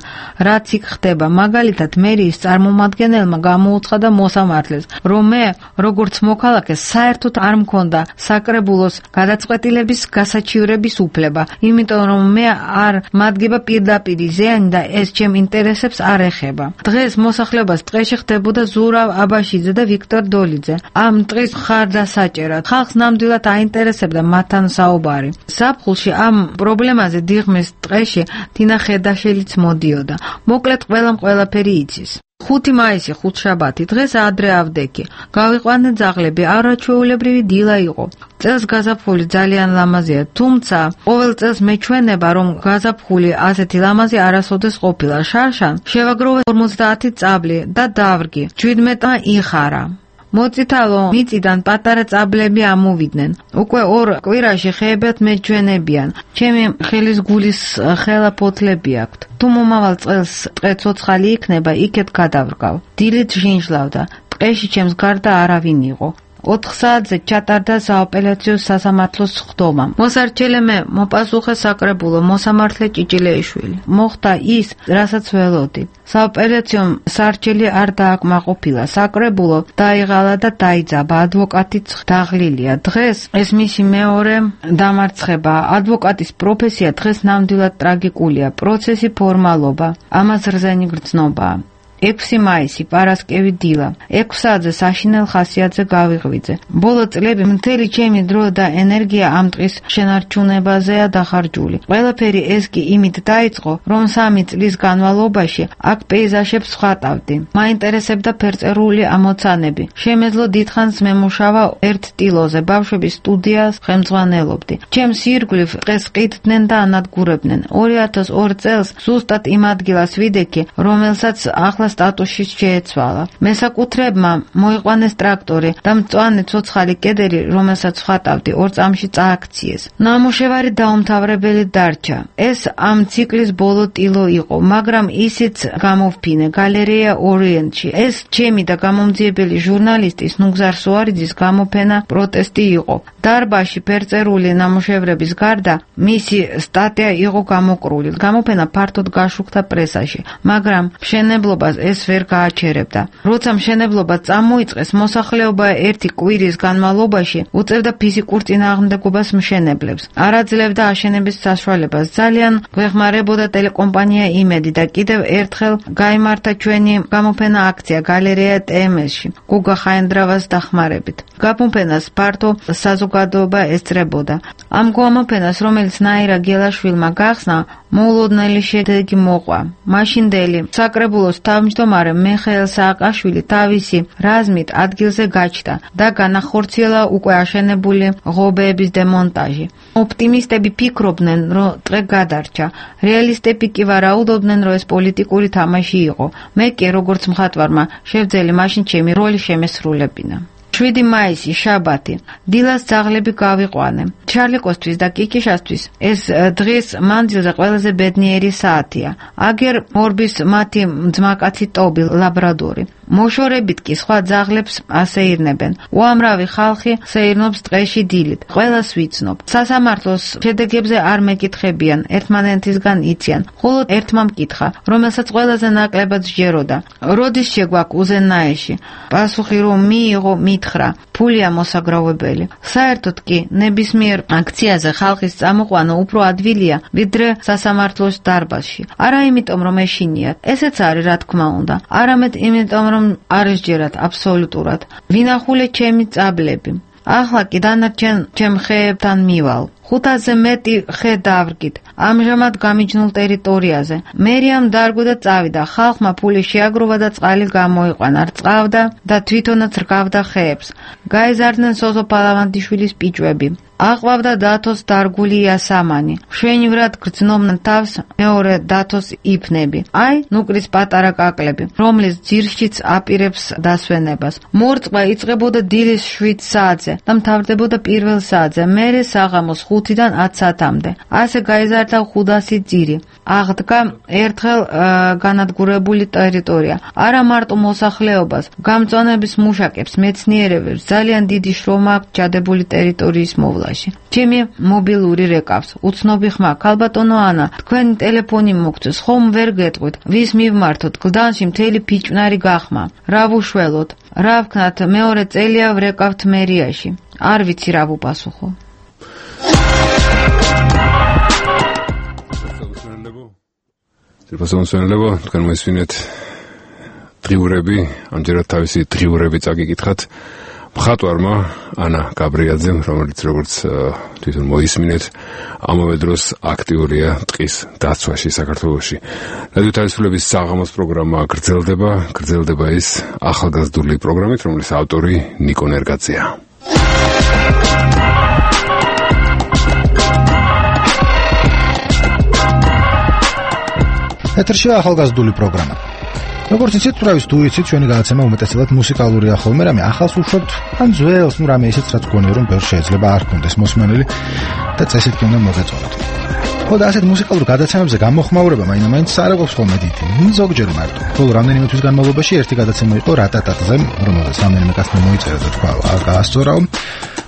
რაც იქ ხდება. მაგალითად, მერიის წარმომადგენელმა გამოუცხადა მოსამართლეს, რომ მე, როგორც მოქალაქე, საერთოდ არ მქონდა საკრებულოს გადაწყვეტილების გასაჩივრების უფლება, იმიტომ რომ მე არ მადგება პირდაპირი ზიანი და ეს ჩემ ინტერესებს არ ეხება. დღეს მოსახლეობას ტყეში ხდებოდა ზურავ აბაშიძე და ვიქტორ დოლიძე. ამ ტყის მხარდასაჭერად ხალხს ნამდვილად აინტერესებდა მათთან საუბარი. ზაფხულში ამ პრობლემაზე დიღმის ტყეში თინა ხედაშელიც მოდიოდა. მოკლედ ყველამ ყველაფერი იცის. 5 მაისი 5 შაბათი დღეს ადრე ავდექი. გავიყვანე ძაღლები, არაჩვეულებრივი დილა იყო. წელს გაზაფხული ძალიან ლამაზია, თუმცა ყოველ წელს მეჩვენება, რომ გაზაფხული ასეთი ლამაზი არასოდეს ყოფილა. შარშან შევაგროვე 50 წაბლი და დავრგი. 17-მა იხარა. მოწითალო მიწიდან პატარა წაბლები ამოვიდნენ. უკვე 2 კვირაში ხეებად მეჩვენებიან. ჩემი ხელის გულის ხელა ფოთლები აქვთ. თუ მომავალ წელს ტყე ცოცხალი იქნება, იქეთ გადავრგავ. დილით ჟინჟლავდა. ტყეში ჩემს გარდა არავინ იყო. 4 საათზე ჩატარდა საოპერაციო სასამართლოს ხდომა. მოსარჩელემ მოპასუხე საკრებულო მოსამართლე ჭიჭილეიშვილი. მოხდა ის, რასაც ველოდი. საოპერაციო სარჩელი არ დააკმაყოფილა. საკრებულო დაიღალა და დაიძაბა. ადვოკატიც დაღლილია. დღეს ეს მისი მეორე დამარცხება. ადვოკატის პროფესია დღეს ნამდვილად ტრაგიკულია. პროცესი ფორმალობა, ამას რძენი გრძნობაა. 6 მაისი პარასკევი დილა. 6 საათზე საშინელ ხასიათზე გავიღვიძე. ბოლო წლები მთელი ჩემი დრო და ენერგია ამ ტყის შენარჩუნებაზეა დახარჯული. ყველაფერი ეს კი იმით დაიწყო, რომ 3 წლის განმავლობაში აქ პეიზაჟებს ვხატავდი. მაინტერესებდა ფერწერული ამოცანები. შემეძლო დიდხანს მემუშავა ერთ ტილოზე, ბავშვების სტუდიას ხელმძღვანელობდი. ჩემს ირგვლივ ტყეს ყიდდნენ და ანადგურებდნენ. 2002 წელს ზუსტად იმ ადგილას ვიდექი, რომელსაც ახლა მშენებლობა სტატუსში შეეცვალა. მესაკუთრეებმა მოიყვანეს ტრაქტორი და მწვანე ცოცხალი კედელი, რომელსაც ხატავდი, 2 წამში წააქციეს. ნამუშევარი დაუმთავრებელი დარჩა. ეს ამ ციკლის ბოლო ტილო იყო, მაგრამ ისიც გამოვფინე გალერეა ორიენტში. ეს ჩემი და გამომძიებელი ჟურნალისტის ნუგზარ სუარიძის გამოფენა პროტესტი იყო. დარბაზში ფერწერული ნამუშევრების გარდა მისი სტატია იყო გამოკრული. გამოფენა ფართოდ გაშუქდა პრესაში, მაგრამ მშენებლობას ეს ვერ გააჩერებდა. როცა მშენებლობა წამოიწყეს, მოსახლეობა 1 კვირის განმავლობაში უწევდა ფიზიკურ წინააღმდეგობას მშენებლებს. არ აძლევდა აშენების საშუალებას. ძალიან გვეხმარებოდა ტელეკომპანია იმედი და კიდევ ერთხელ გაიმართა ჩვენი გამოფენა აქცია გალერეა TMS-ში გუგა ხაენდრავას დახმარებით. გამოფენას ფართო საზოგადოება ესწრებოდა. ამ გამოფენას, რომელიც ნაირა გელაშვილმა გახსნა, მოულოდნელი შედეგი მოყვა. მაშინდელი საკრებულოს თავმჯდომარე მიხეილ სააკაშვილი თავისი რაზმით ადგილზე გაჩნდა და განახორციელა უკვე აშენებული ღობეების დემონტაჟი. ოპტიმისტები ფიქრობდნენ, რომ დღე გადარჩა. რეალისტები კი ვარაუდობდნენ, რომ ეს პოლიტიკური თამაში იყო. მე კი, როგორც მხატვარმა, შევძელი მაშინ ჩემი როლი შემესრულებინა. 7 მაისი, შაბათი. დილას ძაღლები გავიყვანე. ჩარლიკოსთვის და კიკიშასთვის ეს დღის მანძილზე ყველაზე ბედნიერი საათია. აგერ ორბის მათი ძმაკაცი ტობი, ლაბრადორი. მოშორებით კი სხვა ძაღლებს ასეირნებენ. უამრავი ხალხი სეირნობს ტყეში დილით. ყველას ვიცნობ. სასამართლოს შედეგებზე არ მეკითხებიან, ერთმანეთისგან იციან. მხოლოდ ერთმა მკითხა, რომელსაც ყველაზე ნაკლებად სჯეროდა. როდის შეგვაქვს უზენაეში? პასუხი რომ მიიღო, მითხრა, ფულია მოსაგროვებელი. საერთოდ კი ნებისმიერ აქციაზე ხალხის წამოყვანა უფრო ადვილია, ვიდრე სასამართლოს დარბაზში. არა იმიტომ რომ ეშინიათ, ესეც არის რა თქმა უნდა. არამედ იმიტომ რომ არ ესჯერათ აბსოლუტურად. ვინახულე ჩემი წაბლები. ახლა კი დანარჩენ ჩემ ხეებთან მივალ. 500-ზე მეტი ხე დავრგით. ამჟამად გამიჯნულ ტერიტორიაზე. მერიამ დარგო და წავიდა. ხალხმა ფული შეაგროვა და წყალი გამოიყვანა. რწყავდა და თვითონაც რგავდა ხეებს. გაეზარდნენ სოზო პალავანდიშვილის პიჭვები. აყვავდა დათოს დარგული იასამანი. მშვენივრად გრძნობდნენ თავს მეორე დათოს იფნები. აი, ნუკრის პატარა კაკლები, რომლის ძირშიც აპირებს დასვენებას. მორწყვა იწყებოდა დილის 7 საათზე და მთავრდებოდა 1 საათზე, მერე საღამოს 5-დან 10 საათამდე. ასე გაიზარდა 500 ძირი. აღდგა ერთხელ განადგურებული ტერიტორია. არა მარტო მოსახლეობას, გამწვანების მუშაკებს, მეცნიერებს ძალიან დიდი შრომა აქვს ჩადებული ტერიტორიის მოვლა. ჩემი მობილური რეკავს. უცნობი ხმა, ქალბატონო ანა, თქვენი ტელეფონი მოგწეს, ხომ ვერ გეტყვით, ვის მივმართოთ, გლდანში მთელი ფიჭვნარი გახმა. რა ვუშველოთ, რა ვქნათ, მეორე წელია ვრეკავთ მერიაში. არ ვიცი რა ვუპასუხო. სერბასონსენლებო, თქვენ მოისმინეთ დღიურები, ამჯერად თავისი დღიურები წაგიკითხათ. მხატვარმა ანა გაბრიაძემ, რომელიც როგორც თვითონ მოისმინეთ, ამავე დროს აქტიურია ტყის დაცვაში საქართველოში. რადიო თავისუფლების საღამოს პროგრამა გრძელდება ის ახალგაზრდული პროგრამით, რომლის ავტორი ნიკო ნერგაძეა. ეთერშია ახალგაზრდული პროგრამა. როგორც იცით, თუ თუ იცით, ჩვენი გადაცემა უმეტესად მუსიკალურია ხოლმე, რამე ახალს უშვებთ, ან ძველს, რამე ისიც რაც გონია რომ ბევრ შეიძლება არ ქონდეს მოსმენელი და წესით კი უნდა მოგეწონოთ. ხო და ასეთ მუსიკალურ გადაცემებზე გამოხმაურება მაინც არ აქვს ხოლმე დიდი. ზოგჯერ მარტო. ბოლო რამდენიმე თვის განმავლობაში ერთი გადაცემა იყო რატატატზე, რომელსაც რამდენიმე კაცმა მოიწერა და თქვა, არ გაასწორაო.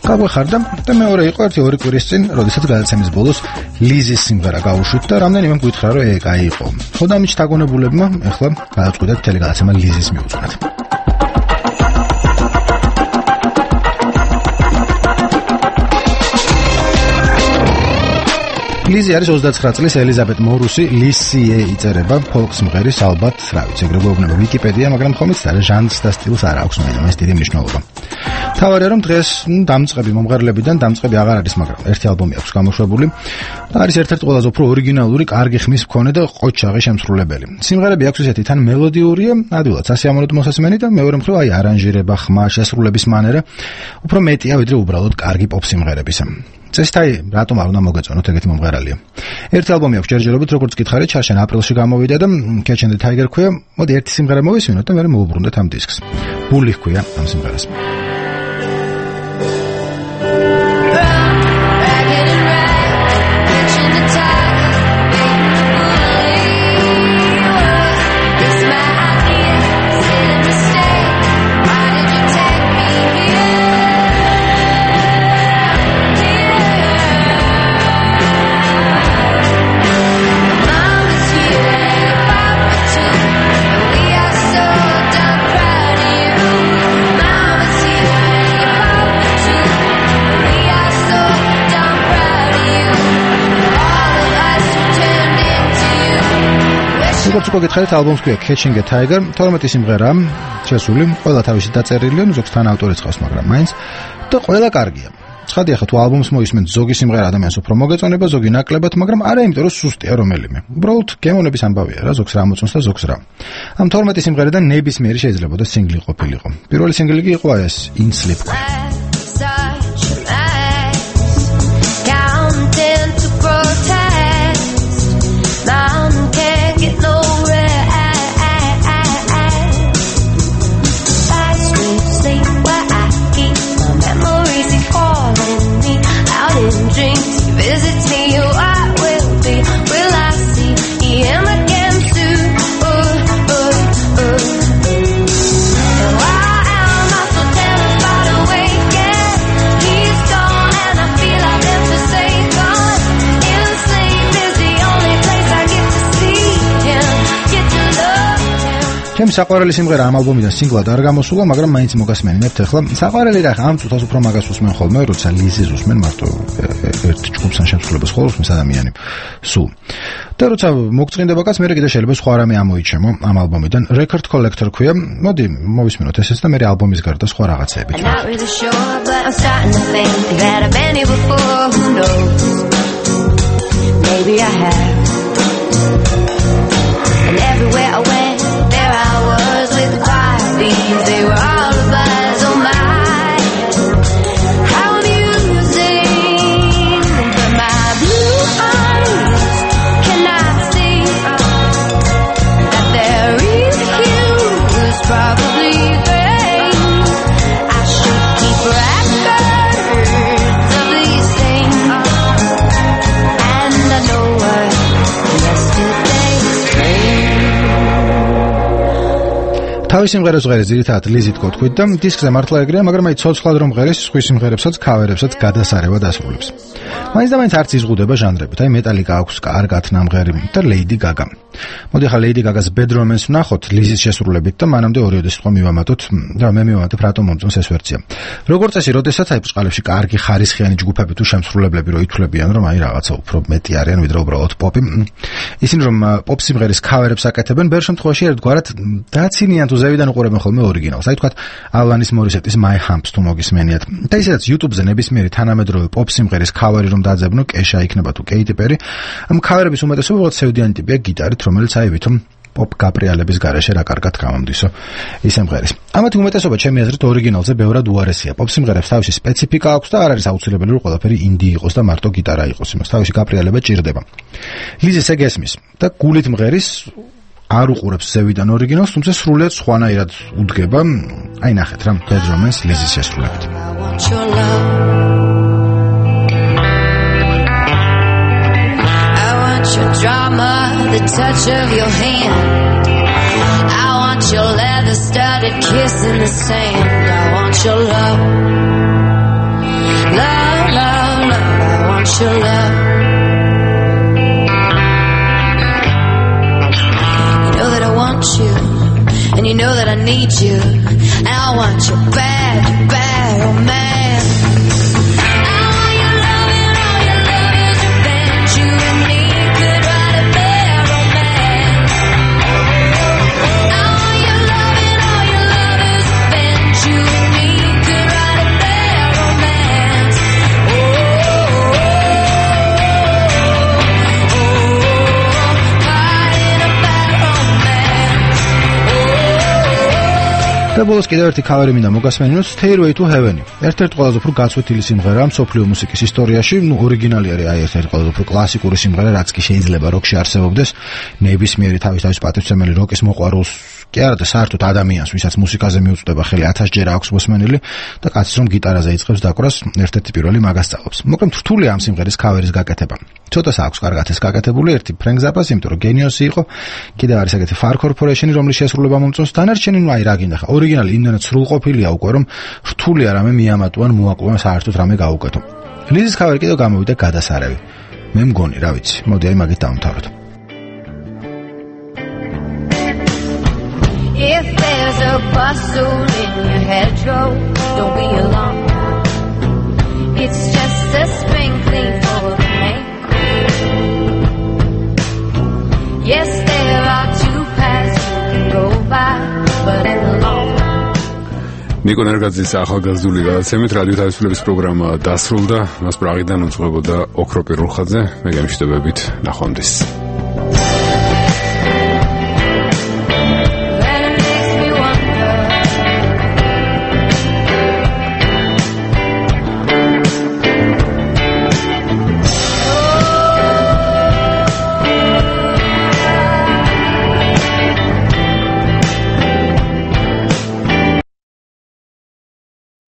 გაგვეხარდა და მეორე იყო 1-2 კვირის წინ, როდესაც გადაცემის ბოლოს ლიზის სიმღერა გაუშვით და რამდენიმე მგვითხრა რომ ეგ იყო. ხო და ამით დაგონებულებმა ეხლა გადაწყვიტეთ მთელი გადაცემა ლიზის მიუძღვნათ. ლიზი არის 29 წლის ელიზაბეთ მორუსი, ლისიე იწერება, ფოლკ სიმღერის ალბათ, რა ვიცი, ეგრე გვეუბნება ვიკიპედია, მაგრამ ხომიც არა ჟანრს და სტილს არ აქვს მაინც დიდი მნიშვნელობა. თავარია რომ დღეს დამწყები მომღერლებიდან დამწყები აღარ არის, მაგრამ ერთი ალბომი აქვს გამოშვებული და არის ერთ-ერთი ყველაზე უფრო ორიგინალური, კარგი ხმის მქონე და ყოჩაღი შემსრულებელი. სიმღერები აქვს ისეთი, თან მელოდიურია, ადვილად სასიამოვნოდ მოსასმენი და მეორე მხრივ აი არანჟირება, ხმა, შესრულების მანერა უფრო მეტია ვიდრე უბრალოდ კარგი პოპ სიმღერებისა. წესითაი რატომ არ უნდა მოგეწონოთ ეგეთი მომღერალია. ერთი ალბომი აქვს ჯერჯერობით, როგორც გითხარით, ჩარშენ აპრილში გამოვიდა და Catch and the Tiger ქვია. მოდი ერთი სიმღერა მოვისმინოთ და მერე მოვუბრუნდეთ ამ დისკს. Bully ქვია ამ სიმღერას. როგორც უკვე გითხარით, ალბომს ქვია Catching a Tiger, 12 სიმღერა შესული, ყველა თავისი დაწერილია, ზოგს თან ავტორიც ყავს, მაგრამ მაინც და ყველა კარგია. ცხადია, ხა თუ ალბომს მოისმენთ, ზოგი სიმღერა ადამიანს უფრო მოგეწონება, ზოგი ნაკლებად, მაგრამ არა იმიტომ, რომ სუსტია რომელიმე. უბრალოდ გემოვნების ამბავია რა, ზოგს რა მოწონს და ზოგს რა. ამ 12 სიმღერიდან ნებისმიერი შეიძლება და სინგლი ყოფილიყო. პირველი სინგლი კი იყო ეს In Sleep. ჩემი საყვარელი სიმღერა ამ ალბომიდან სინგლად არ გამოსულა, მაგრამ მაინც მოგასმენინებთ ახლა. საყვარელი რა, ამ წუთას უფრო მაგას უსმენ ხოლმე, როცა ლიზის უსმენ მარტო ერთ ჯგუფს ან შემსრულებას ხოლმე უსმენს ადამიანი. სულ. და როცა მოგწყინდება კაც, მერე კიდე შეიძლება სხვა რამე ამოიჩემო ამ ალბომიდან. Record Collector ქვია. მოდი მოვისმინოთ ესეც და მერე ალბომის გარდა სხვა რაღაცეებით. Maybe I have. And everywhere I went with the quiet bees, they were all the buzz on mine. How amusing, but my blue eyes cannot see that their refuse probably thinks I should keep records of these things. And I know what yesterday's dream. თავის სიმღერებს ღერეს ძირითადად ლიზით გთქვით და დისკზე მართლა ეგრეა, მაგრამ აი ცოცხლად რომ ღერეს სხვის სიმღერებსაც, ქავერებსაც გადასარევად ასრულებს. მაინც და მაინც არც იზღუდება ჟანრებით. აი მეტალიკა აქვს კარგად ნამღერი და Lady Gaga. მოდი ახლა Lady Gaga-ს Bad Romance ვნახოთ ლიზის შესრულებით და მანამდე ორიოდე სიტყვა მივამატოთ და მე მივამატებ რატომ მომწონს ეს ვერსია. როგორც წესი, როდესაც აი ბწყალებში კარგი ხარისხიანი ჯგუფები თუ შემსრულებლები რო ითვლებიან, რომ აი რაღაცა უფრო მეტი არიან ვიდრე უბრალოდ პოპი, ისინი რომ პოპ სიმღერის ქავერებს აკეთებენ, ბევრ შემთხვევაში ერთგვარად დაცინიან თუ ზევიდან უყურებენ ხოლმე ორიგინალს. აი თქვათ ალანის მორისეტის My Humps თუ მოგისმენიათ. და ისედაც YouTube-ზე ნებისმიერი თანამედროვე პოპ სიმღერის ქავერი რომ დაძებნო, კეშა იქნება თუ კეიტი პერი, ამ ქავერების უმეტესობა უბრალოდ სევდიანი ტიპია გიტარით, რომელიც აი ვითომ პოპ გაბრიალების გარეშე რა კარგად გამომდისო ის სიმღერის. ამათი უმეტესობა ჩემი აზრით ორიგინალზე ბევრად უარესია. პოპ სიმღერებს თავისი სპეციფიკა აქვს და არ არის აუცილებელი რომ ყველაფერი ინდი იყოს და მარტო გიტარა იყოს. იმას თავისი გაბრიალება ჭირდება. ლიზის ეგ ესმის და გულით მღერის არ უყურებს ზევიდან ორიგინალს, თუმცა სრულიად სხვანაირად უდგება. აი ნახეთ რა, Bad Romance ლიზის შესრულებით. Your drama, the touch of your hand. I want your leather-studded kiss in the sand. I want your love, love, love, love. I want your love. You know that I want you, and you know that I need you, and I want your bad, bad romance. და ბოლოს კიდევ ერთი ქავერი მინდა მოგასმენინოთ Stairway to Heaven. ერთ-ერთი ყველაზე უფრო გაცვეთილი სიმღერაა მსოფლიო მუსიკის ისტორიაში, ორიგინალი არის ერთ-ერთი ყველაზე უფრო კლასიკური სიმღერა, რაც კი შეიძლება როკში არსებობდეს. ნებისმიერი თავის პატივცემელი როკის მოყვარულს კი არა და საერთოდ ადამიანს, ვისაც მუსიკაზე მიუწვდება ხელი 1000 ჯერ აქვს მოსმენილი და კაცს რომ გიტარაზე იწყებს დაკვრას, ერთ-ერთი პირველი მაგას სწავლობს. მოკლედ რთულია ამ სიმღერის ქავერის გაკეთება. ცოტას აქვს კარგად ეს გაკეთებული, ერთი ფრენკ ზაპას, იმიტომ რომ გენიოსი იყო, კიდევ არის ეგეთი Far Corporation-ი, რომლის შესრულება მომწონს, დანარჩენი ნუ აი რა გინდა ხა. ორიგინალი იმდენად სრულყოფილია უკვე, რომ რთულია რამე მიამატვან, მოაკლოვან საერთოდ რამე გაუკეთო. ლიზის ქავერი კიდევ გამოვიდა გადასარევი. მე მგონი, რა ვიცი, მოდი აი მაგით დავამთავროთ. If there's a bustle in your hedgerow, don't be alarmed. It's just a sprinkling for the rain. Yes, there are two paths you can go by, but in the long run. ნიკო ნერგაძის ახალგაზრდული გადაცემით რადიო თავისუფლების პროგრამა დასრულდა. მას პრაღიდან უძღვებოდა ოქრო პირულხაძე. მე გემშვიდობებით, ნახვამდის.